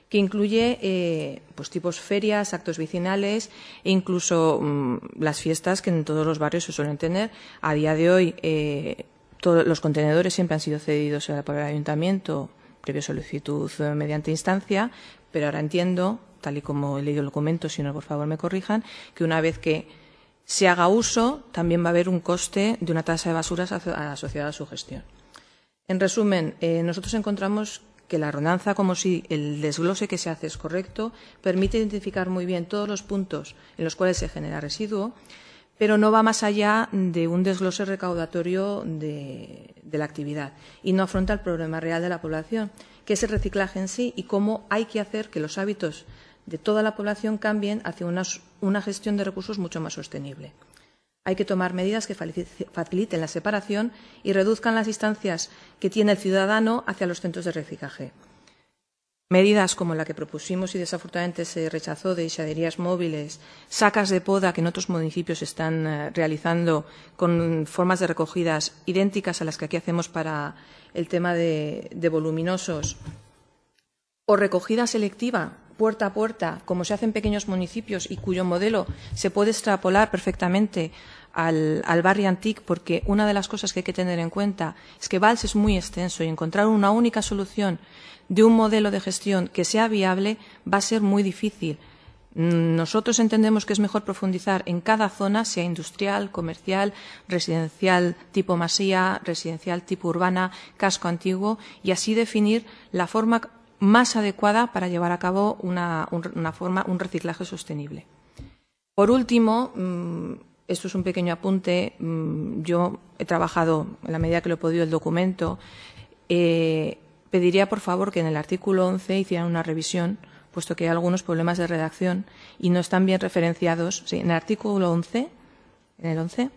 que incluye eh, pues tipos ferias, actos vecinales e incluso mmm, las fiestas que en todos los barrios se suelen tener. A día de hoy eh, todos los contenedores siempre han sido cedidos por el ayuntamiento previa solicitud mediante instancia, pero ahora entiendo, tal y como he leído el documento, si no por favor me corrijan, que una vez que se haga uso, también va a haber un coste de una tasa de basuras asociada a su gestión. En resumen, eh, nosotros encontramos que la ordenanza, como si el desglose que se hace es correcto, permite identificar muy bien todos los puntos en los cuales se genera residuo, pero no va más allá de un desglose recaudatorio de, de la actividad y no afronta el problema real de la población, que es el reciclaje en sí y cómo hay que hacer que los hábitos de toda la población cambien hacia una, una gestión de recursos mucho más sostenible. Hay que tomar medidas que faciliten la separación y reduzcan las distancias que tiene el ciudadano hacia los centros de reciclaje. Medidas como la que propusimos y desafortunadamente se rechazó de isaderías móviles, sacas de poda que en otros municipios se están eh, realizando con formas de recogidas idénticas a las que aquí hacemos para el tema de, de voluminosos, o recogida selectiva puerta a puerta, como se hace en pequeños municipios y cuyo modelo se puede extrapolar perfectamente al, al barrio Antic, porque una de las cosas que hay que tener en cuenta es que Valls es muy extenso y encontrar una única solución de un modelo de gestión que sea viable va a ser muy difícil. Nosotros entendemos que es mejor profundizar en cada zona, sea industrial, comercial, residencial tipo masía, residencial tipo urbana, casco antiguo, y así definir la forma más adecuada para llevar a cabo una, una forma, un reciclaje sostenible. Por último, esto es un pequeño apunte, yo he trabajado en la medida que lo he podido el documento, eh, pediría por favor que en el artículo once hicieran una revisión, puesto que hay algunos problemas de redacción y no están bien referenciados. Sí, en el artículo once, en el once,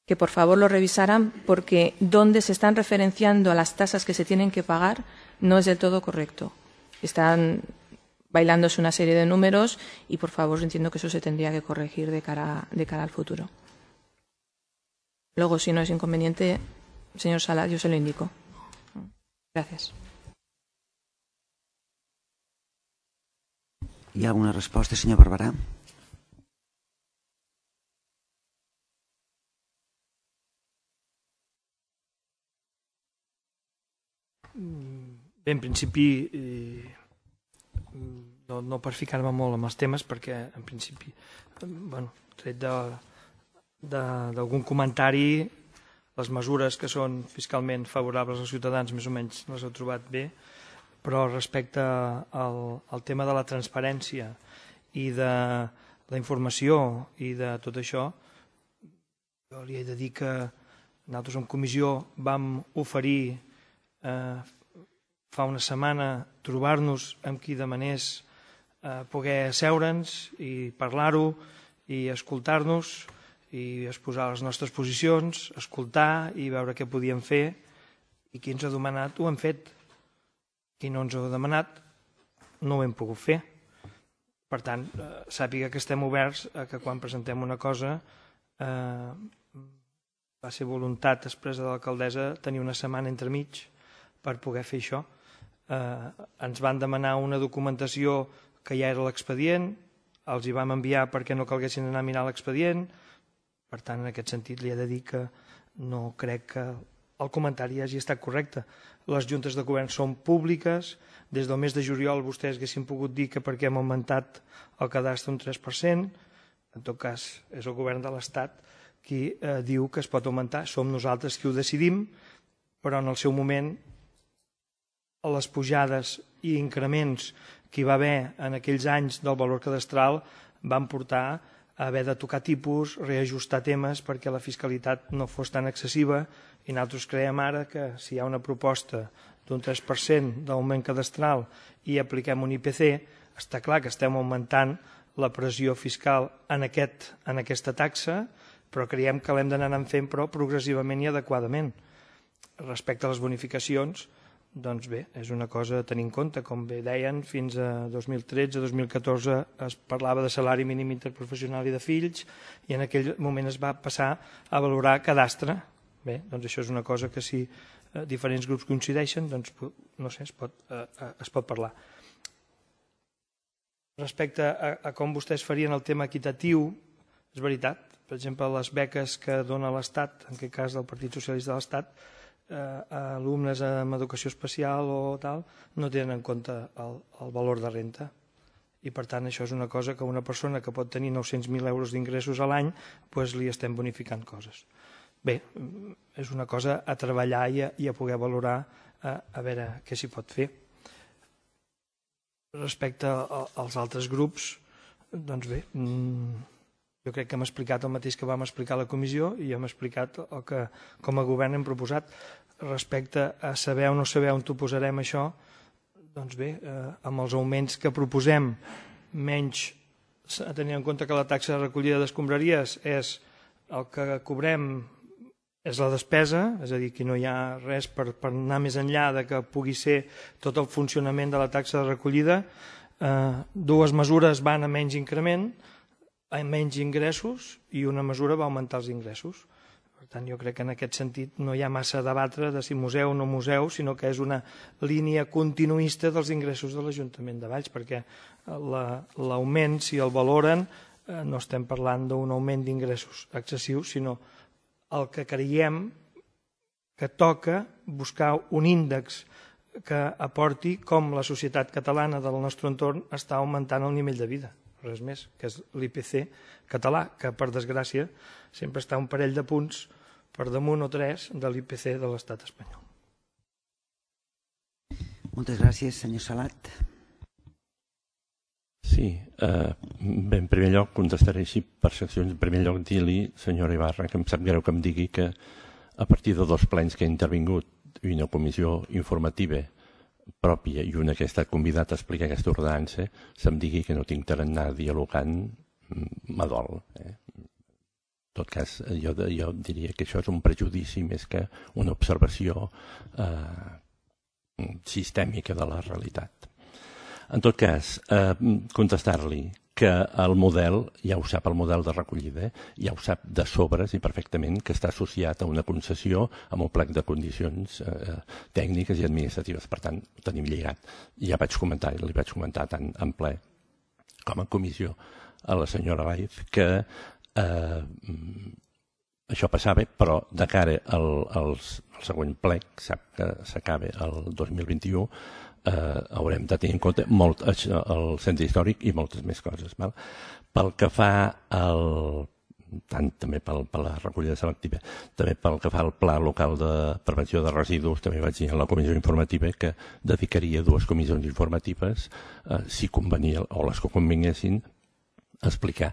que por favor lo revisaran, porque donde se están referenciando a las tasas que se tienen que pagar no es del todo correcto. Están bailándose una serie de números y, por favor, entiendo que eso se tendría que corregir de cara, de cara al futuro. Luego, si no es inconveniente, señor Sala, yo se lo indico. Gracias. Hi ha alguna resposta, senyor Barberà? Bé, en principi, no per ficar-me molt amb els temes, perquè en principi, bueno, tret d'algun comentari, les mesures que són fiscalment favorables als ciutadans més o menys les heu trobat bé, però respecte al tema de la transparència i de la informació i de tot això, jo li he de dir que nosaltres en comissió vam oferir fa una setmana trobar-nos amb qui demanés poder asseure'ns i parlar-ho i escoltar-nos i exposar les nostres posicions, escoltar i veure què podíem fer, i qui ens ha demanat ho hem fet. Qui no ens ho ha demanat no ho hem pogut fer. Per tant, sàpiga que estem oberts a que quan presentem una cosa va ser voluntat expressa de l'alcaldessa tenir una setmana entremig per poder fer això. Ens van demanar una documentació que ja era l'expedient, els hi vam enviar perquè no calguessin anar a mirar l'expedient. Per tant, en aquest sentit, li he de dir que no crec que el comentari hagi estat correcte. Les juntes de govern són públiques. Des del mes de juliol vostès haguessin pogut dir que perquè hem augmentat el cadastre un tres per cent. En tot cas, és el govern de l'Estat qui diu que es pot augmentar. Som nosaltres qui ho decidim, però en el seu moment les pujades i increments que hi va haver en aquells anys del valor cadastral van portar a haver de tocar tipus, reajustar temes perquè la fiscalitat no fos tan excessiva, i nosaltres creiem ara que si hi ha una proposta d'un tres per cent d'augment cadastral i apliquem un I P C, està clar que estem augmentant la pressió fiscal en aquesta taxa, però creiem que l'hem d'anar fent però progressivament i adequadament. Respecte a les bonificacions, doncs bé, és una cosa a tenir en compte. Com bé deien, fins a dos mil tretze dos mil catorze es parlava de salari mínim interprofessional i de fills, i en aquell moment es va passar a valorar cadastre. Bé, doncs això és una cosa que si diferents grups coincideixen, doncs no sé, es pot parlar. Respecte a com vostès farien el tema equitatiu, és veritat, per exemple, les beques que dona l'Estat, en aquest cas del Partit Socialista de l'Estat, alumnes amb educació especial o tal, no tenen en compte el valor de renta. I per tant això és una cosa que una persona que pot tenir nou-cents mil euros d'ingressos a l'any li estem bonificant coses. Bé, és una cosa a treballar i a poder valorar a veure què s'hi pot fer. Respecte als altres grups, doncs bé, jo crec que hem explicat el mateix que vam explicar a la comissió i hem explicat el que com a govern hem proposat. Respecte a saber o no saber on t'ho posarem això, doncs bé, amb els augments que proposem, menys tenint en compte que la taxa de recollida d'escombraries és el que cobrem, és la despesa, és a dir, que no hi ha res per anar més enllà de que pugui ser tot el funcionament de la taxa de recollida. Dues mesures van a menys increment, a menys ingressos, i una mesura va augmentar els ingressos. Per tant, jo crec que en aquest sentit no hi ha massa a debatre de si museu o no museu, sinó que és una línia continuista dels ingressos de l'Ajuntament de Valls, perquè l'augment, si el valoren, no estem parlant d'un augment d'ingressos excessiu, sinó el que creiem que toca buscar un índex que aporti com la societat catalana del nostre entorn està augmentant el nivell de vida. Res més, que és l'I P C català, que per desgràcia sempre està un parell de punts per damunt o tres de l'I P C de l'estat espanyol. Moltes gràcies, senyor Salat. Sí, bé, en primer lloc contestaré així per seccions. En primer lloc dir-li, senyora Ibarra, que em sap greu que em digui que a partir de dos plens que he intervingut i una comissió informativa pròpia i una que he estat convidat a explicar aquesta ordenança, se'm digui que no tinc tarannà dialogant, m'adol. En tot cas, jo diria que això és un prejudici més que una observació sistèmica de la realitat. En tot cas, contestar-li que el model, ja ho sap, el model de recollida, ja ho sap de sobres i perfectament que està associat a una concessió amb un plec de condicions tècniques i administratives. Per tant, ho tenim lligat. Ja vaig comentar, li vaig comentar tant en ple com en comissió a la senyora Baiz que això passava, però de cara als el següent plec, sap que s'acaba el dos mil vint-i-u, eh, haurem de tenir en compte molt el centre històric i moltes més coses. Val? Pel que fa al tant també pel, per la recollida selectiva, també pel que fa al Pla Local de Prevenció de Residus, també vaig dir en la comissió informativa que dedicaria dues comissions informatives, eh, si convenia, o les que convinguessin, a explicar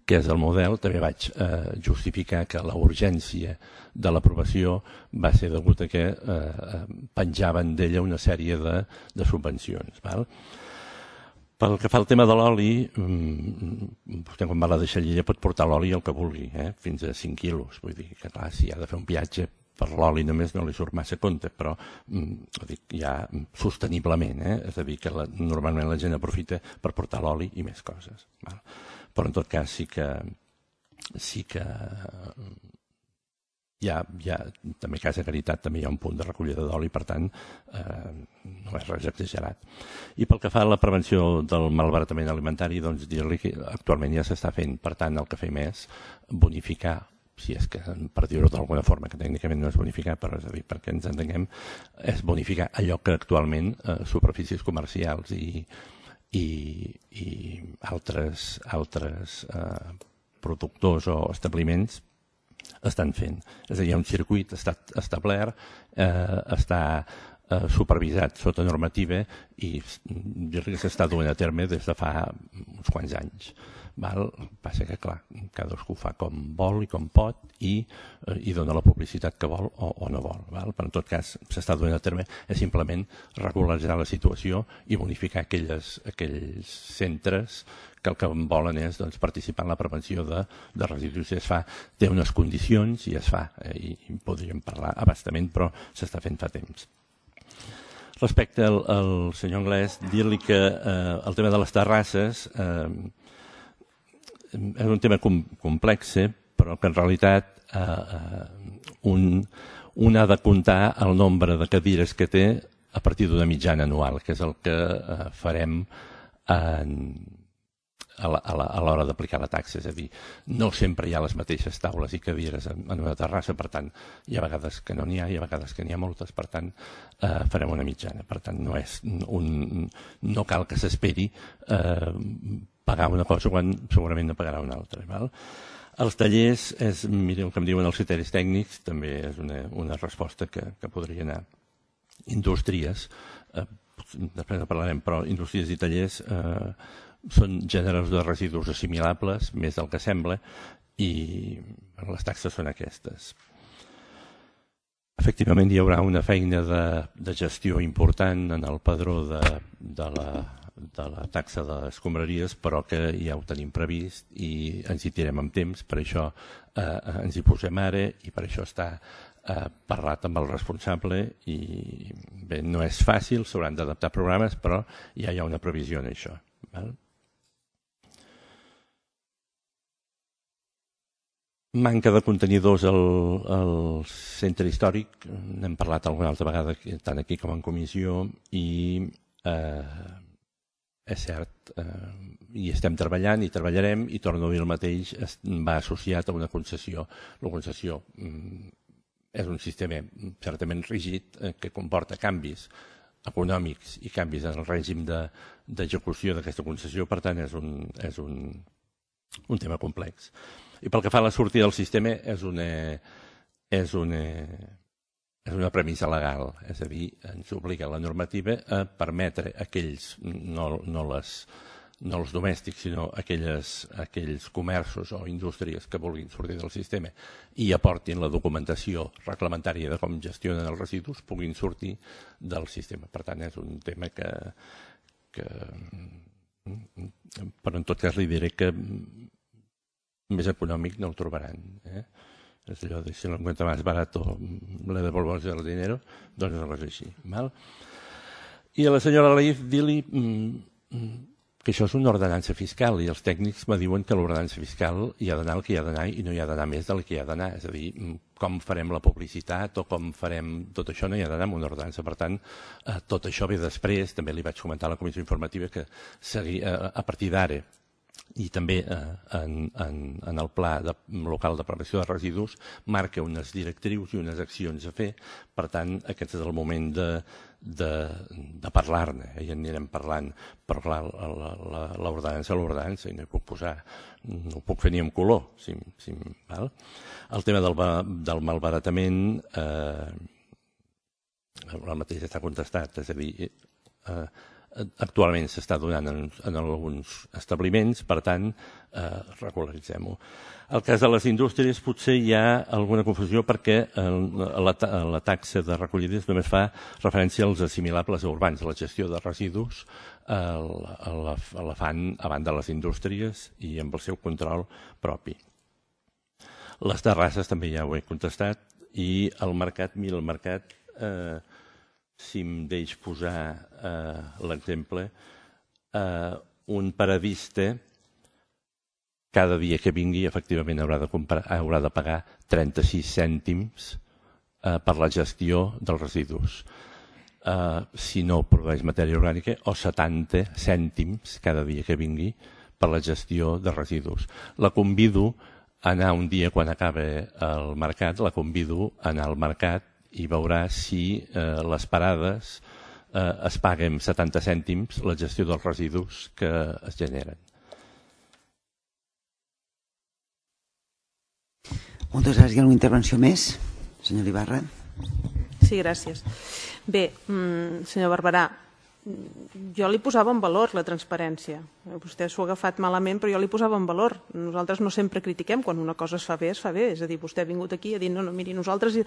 què és el model. També vaig eh, justificar que la urgència de l'aprovació va ser degut a que eh, penjaven d'ella una sèrie de, de subvencions. Val? Pel que fa al tema de l'oli, vostè quan va a la deixalleria pot portar l'oli el que vulgui, eh? Fins a cinc quilos. Vull dir que clar, si ha de fer un viatge per l'oli només no li surt massa compte, però dic, ja sosteniblement, eh? És a dir, que la, normalment la gent aprofita per portar l'oli i més coses. Val? Però en tot cas sí que sí que hi ha, hi ha també a Casa Caritat també hi ha un punt de recollida d'oli, per tant eh, no és res exagerat. I pel que fa a la prevenció del malbaratament alimentari, doncs dir-li que actualment ja s'està fent, per tant el que fem és bonificar, si és que per dir-ho d'alguna forma, que tècnicament no és bonificar, però és a dir, perquè ens entenguem, és bonificar allò que actualment eh, superfícies comercials i i, i altres, altres eh, productors o establiments estan fent. És a dir, hi ha un circuit està establert, eh, està eh, supervisat sota normativa i dir-li que s'està duent a terme des de fa uns quants anys. Val? Passa que, clar, cadascú fa com vol i com pot i, eh, i dona la publicitat que vol o, o no vol. Val? Però en tot cas, s'està duent a terme és simplement regularitzar la situació i bonificar aquelles, aquells centres que el que volen és doncs, participar en la prevenció de, de residus. Si es fa, té unes condicions i es fa, eh, i, i podríem parlar abastament, però s'està fent fa temps. Respecte al, al senyor Anglès, dir-li que eh, el tema de les terrasses eh, és un tema com, complex, però que en realitat eh, un, un ha de comptar el nombre de cadires que té a partir d'una mitjana anual, que és el que eh, farem en, a l'hora d'aplicar la taxa. És a dir, no sempre hi ha les mateixes taules i cadires en, en una terrassa, per tant, hi ha vegades que no n'hi ha, hi ha vegades que n'hi ha moltes, per tant, eh, farem una mitjana. Per tant, no, és un, no cal que s'esperi eh, pagar una cosa quan segurament no pagarà una altra. Val? Els tallers, és, mireu que em diuen els criteris tècnics, també és una, una resposta que, que podria anar. Indústries, eh, després en parlarem, però indústries i tallers eh, són gèneres de residus assimilables, més del que sembla, i les taxes són aquestes. Efectivament, hi haurà una feina de, de gestió important en el padró de, de la de la taxa de les escombraries, però que ja ho tenim previst i ens hi tirem amb temps, per això eh, ens hi posem ara i per això està eh, parlat amb el responsable i bé, no és fàcil, s'hauran d'adaptar programes, però ja hi ha una previsió en això. Val? Manca de contenidors al, al centre històric, n'hem parlat alguna altra vegada tant aquí com en comissió i eh, és cert, eh, hi estem treballant i treballarem i torno a dir el mateix, es, va associat a una concessió. La concessió mm, és un sistema certament rígid eh, que comporta canvis econòmics i canvis en el règim d'execució de, d'aquesta concessió, per tant és un, és un, un tema complex. I pel que fa a la sortida del sistema és una, és una, és una premissa legal, és a dir, ens obliga la normativa a permetre aquells, no, no, les, no els domèstics, sinó aquelles, aquells comerços o indústries que vulguin sortir del sistema i aportin la documentació reglamentària de com gestionen els residus, puguin sortir del sistema. Per tant, és un tema que... que però en tot cas li diré que més econòmic no el trobaran, eh? És allò de si l'encuentra más barato le devolvemos el dinero, doncs no és així. Val? I a la senyora Leif dir-li que això és una ordenança fiscal i els tècnics me diuen que l'ordenança fiscal hi ha d'anar el que hi ha d'anar i no hi ha d'anar més del que hi ha d'anar. És a dir, com farem la publicitat o com farem tot això no hi ha d'anar amb una ordenança. Per tant, tot això ve després, també li vaig comentar a la comissió informativa que segui, a partir d'ara i també eh, en, en, en el pla de, local de prevenció de residus marca unes directrius i unes accions a fer. Per tant, aquest és el moment de, de, de parlar-ne, eh? I en anirem parlant, però clar, l'ordenança l'ordenança i no hi puc posar, no ho puc fer ni en color. Si, si, val? El tema del, del malbaratament eh, el mateix està contestat, és a dir, eh, actualment s'està donant en, en alguns establiments, per tant, eh, regularitzem-ho. El cas de les indústries potser hi ha alguna confusió perquè el, la, la taxa de recollides només fa referència als assimilables urbans. La gestió de residus eh, la, la fan a banda de les indústries i amb el seu control propi. Les terrasses també ja ho he contestat i el mercat, mira, el mercat... Eh, si em deix posar eh, l'exemple, eh, un paradista cada dia que vingui efectivament haurà de, comprar, haurà de pagar trenta-sis cèntims eh, per la gestió dels residus. Eh, si no produeix matèria orgànica, o setanta cèntims cada dia que vingui per la gestió de residus. La convido a anar un dia quan acaba el mercat, la convido a anar al mercat i veurà si eh, les parades eh, es paguen setanta cèntims la gestió dels residus que es generen. Moltes gràcies. Hi ha alguna intervenció més? Senyor Ibarra. Sí, gràcies. Bé, senyor Barberà, jo li posava en valor la transparència. Vostè s'ho ha agafat malament, però jo li posava en valor. Nosaltres no sempre critiquem quan una cosa es fa bé, es fa bé. És a dir, vostè ha vingut aquí i ha dit, no, no, miri, nosaltres eh,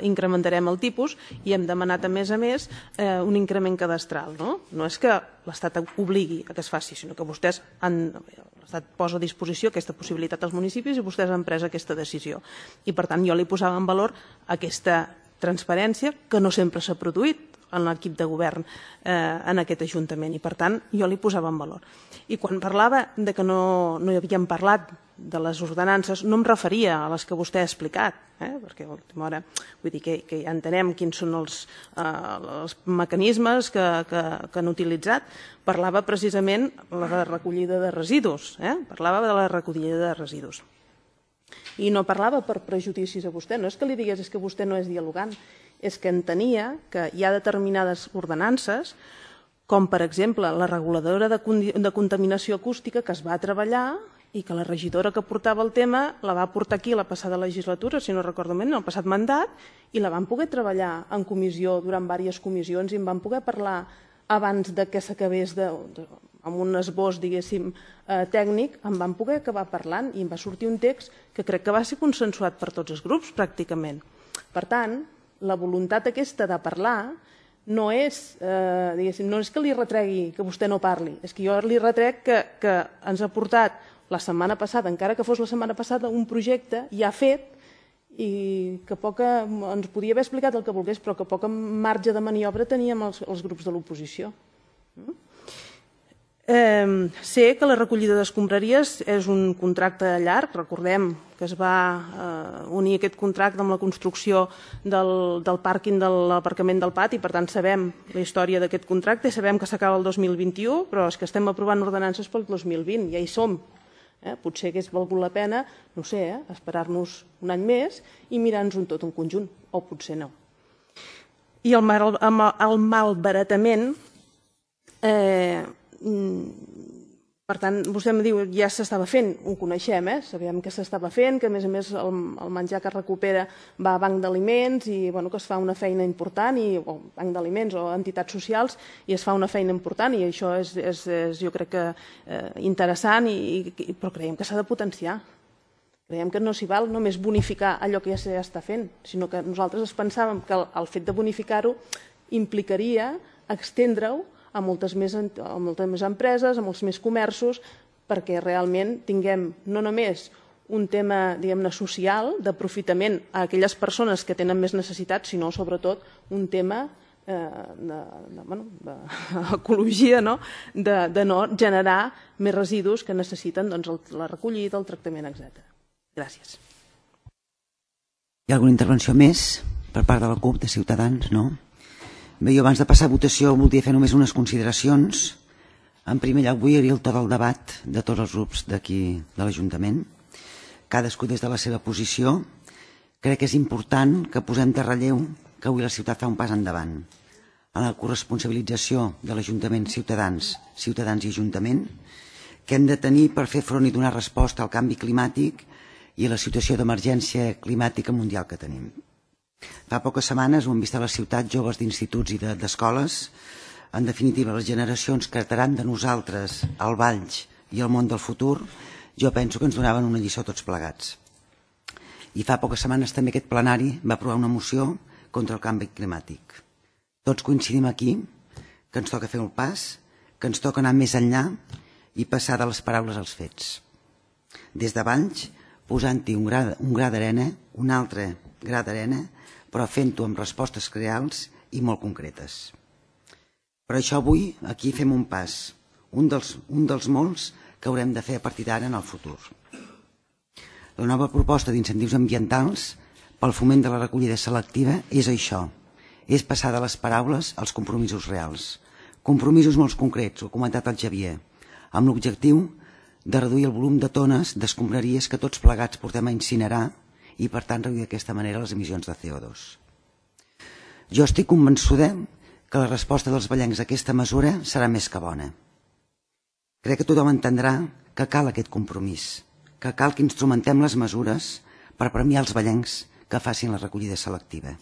incrementarem el tipus i hem demanat, a més a més, eh, un increment cadastral. No, no és que l'Estat obligui a que es faci, sinó que vostès han... l'Estat posa a disposició aquesta possibilitat als municipis i vostès han pres aquesta decisió. I, per tant, jo li posava en valor aquesta transparència que no sempre s'ha produït en l'equip de govern eh, en aquest Ajuntament i per tant jo li posava en valor. I quan parlava de que no, no hi havíem parlat de les ordenances no em referia a les que vostè ha explicat, eh, perquè a l'última hora vull dir que, que ja entenem quins són els, eh, els mecanismes que, que, que han utilitzat. Parlava precisament de la recollida de residus, eh? parlava de la recollida de residus. I no parlava per prejudicis a vostè, no és que li digués és que vostè no és dialogant, és que entenia que hi ha determinades ordenances, com per exemple la reguladora de, de contaminació acústica que es va treballar i que la regidora que portava el tema la va portar aquí la passada legislatura, si no recordo bé, en el passat mandat, i la van poder treballar en comissió durant diverses comissions i en van poder parlar abans de que s'acabés de... de amb un esbós, diguéssim, eh, tècnic, en van poder acabar parlant i em va sortir un text que crec que va ser consensuat per tots els grups, pràcticament. Per tant, la voluntat aquesta de parlar no és, eh, diguéssim, no és que li retregui que vostè no parli, és que jo li retrec que, que ens ha portat la setmana passada, encara que fos la setmana passada, un projecte ja fet i que poca, ens podia haver explicat el que volgués, però que poc marge de maniobra teníem els, els grups de l'oposició. Mm? Eh, sé que la recollida d'escombraries és un contracte llarg, recordem que es va eh, unir aquest contracte amb la construcció del, del pàrquing de l'aparcament del pati, per tant sabem la història d'aquest contracte, sabem que s'acaba el dos mil vint-i-u, però és que estem aprovant ordenances pel dos mil vint, ja hi som. Eh? Potser hagués valgut la pena, no sé, eh? esperar-nos un any més i mirar-nos un tot un conjunt, o potser no. I el, mal, el malbaratament... Eh, per tant, vostè em diu ja s'estava fent, ho coneixem, eh? sabem que s'estava fent, que a més a més el, el menjar que es recupera va a banc d'aliments i bueno, que es fa una feina important, i, o banc d'aliments o entitats socials, i es fa una feina important i això és, és, és jo crec que eh, interessant, i, i, però creiem que s'ha de potenciar. Creiem que no s'hi val només bonificar allò que ja s'està fent, sinó que nosaltres es pensàvem que el, el fet de bonificar-ho implicaria extendre-ho a moltes més, a moltes més empreses, a molts més comerços, perquè realment tinguem no només un tema, diguem-ne, social, d'aprofitament a aquelles persones que tenen més necessitats, sinó sobretot un tema eh, de, de, bueno, d'ecologia, no? De, de no generar més residus que necessiten doncs, el, la recollida, el tractament, etcètera. Gràcies. Hi ha alguna intervenció més per part de la CUP, de Ciutadans? No? Bé, jo abans de passar a votació voldria fer només unes consideracions. En primer lloc, vull obrir el to del debat de tots els grups d'aquí de l'Ajuntament. Cadascú des de la seva posició. Crec que és important que posem de relleu que avui la ciutat fa un pas endavant en la corresponsabilització de l'Ajuntament, ciutadans, ciutadans i Ajuntament, que hem de tenir per fer front i donar resposta al canvi climàtic i a la situació d'emergència climàtica mundial que tenim. Fa poques setmanes ho hem vist a la ciutat, joves d'instituts i d'escoles. En definitiva, les generacions que heretaran de nosaltres el Valls i el món del futur, jo penso que ens donaven una lliçó tots plegats. I fa poques setmanes també aquest plenari va aprovar una moció contra el canvi climàtic. Tots coincidim aquí que ens toca fer el pas, que ens toca anar més enllà i passar de les paraules als fets. Des de Valls, posant-hi un gra, un gra d'arena, un altre gra d'arena, però fent-ho amb respostes reals i molt concretes. Per això avui aquí fem un pas, un dels, un dels molts que haurem de fer a partir d'ara en el futur. La nova proposta d'incentius ambientals pel foment de la recollida selectiva és això, és passar de les paraules als compromisos reals. Compromisos molt concrets, ho ha comentat el Xavier, amb l'objectiu de reduir el volum de tones d'escombraries que tots plegats portem a incinerar i, per tant, reduir d'aquesta manera les emissions de C O dos. Jo estic convençuda que la resposta dels vallencs a aquesta mesura serà més que bona. Crec que tothom entendrà que cal aquest compromís, que cal que instrumentem les mesures per premiar els vallencs que facin la recollida selectiva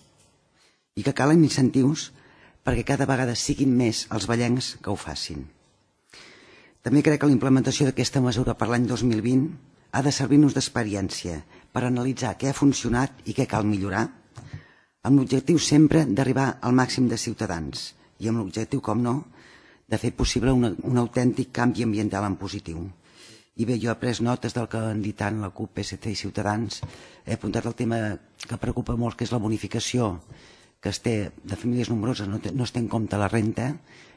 i que calen incentius perquè cada vegada siguin més els vallencs que ho facin. També crec que la implementació d'aquesta mesura per l'any dos mil vint ha de servir-nos d'experiència per analitzar què ha funcionat i què cal millorar, amb l'objectiu sempre d'arribar al màxim de ciutadans i amb l'objectiu, com no, de fer possible una, un autèntic canvi ambiental en positiu. I bé, jo he pres notes del que han dit tant la CUP, P S C i Ciutadans. He apuntat el tema que preocupa molt, que és la bonificació que es té de famílies nombroses, no, té, no es té en compte la renta.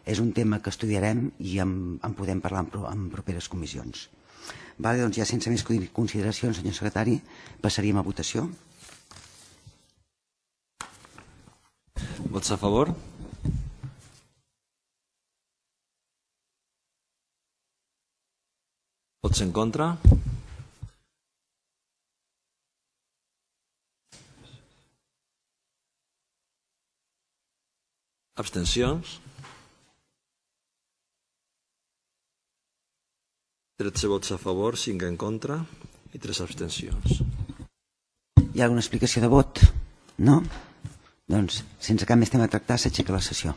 És un tema que estudiarem i en, en podem parlar en, en properes comissions. Vale, doncs ja sense més consideracions, senyor secretari, passaríem a votació. Vots a favor? Vots en contra? Abstencions? tretze vots a favor, cinc en contra i tres abstencions. Hi ha alguna explicació de vot? No? Doncs, sense cap més tema a tractar, s'aixeca la sessió.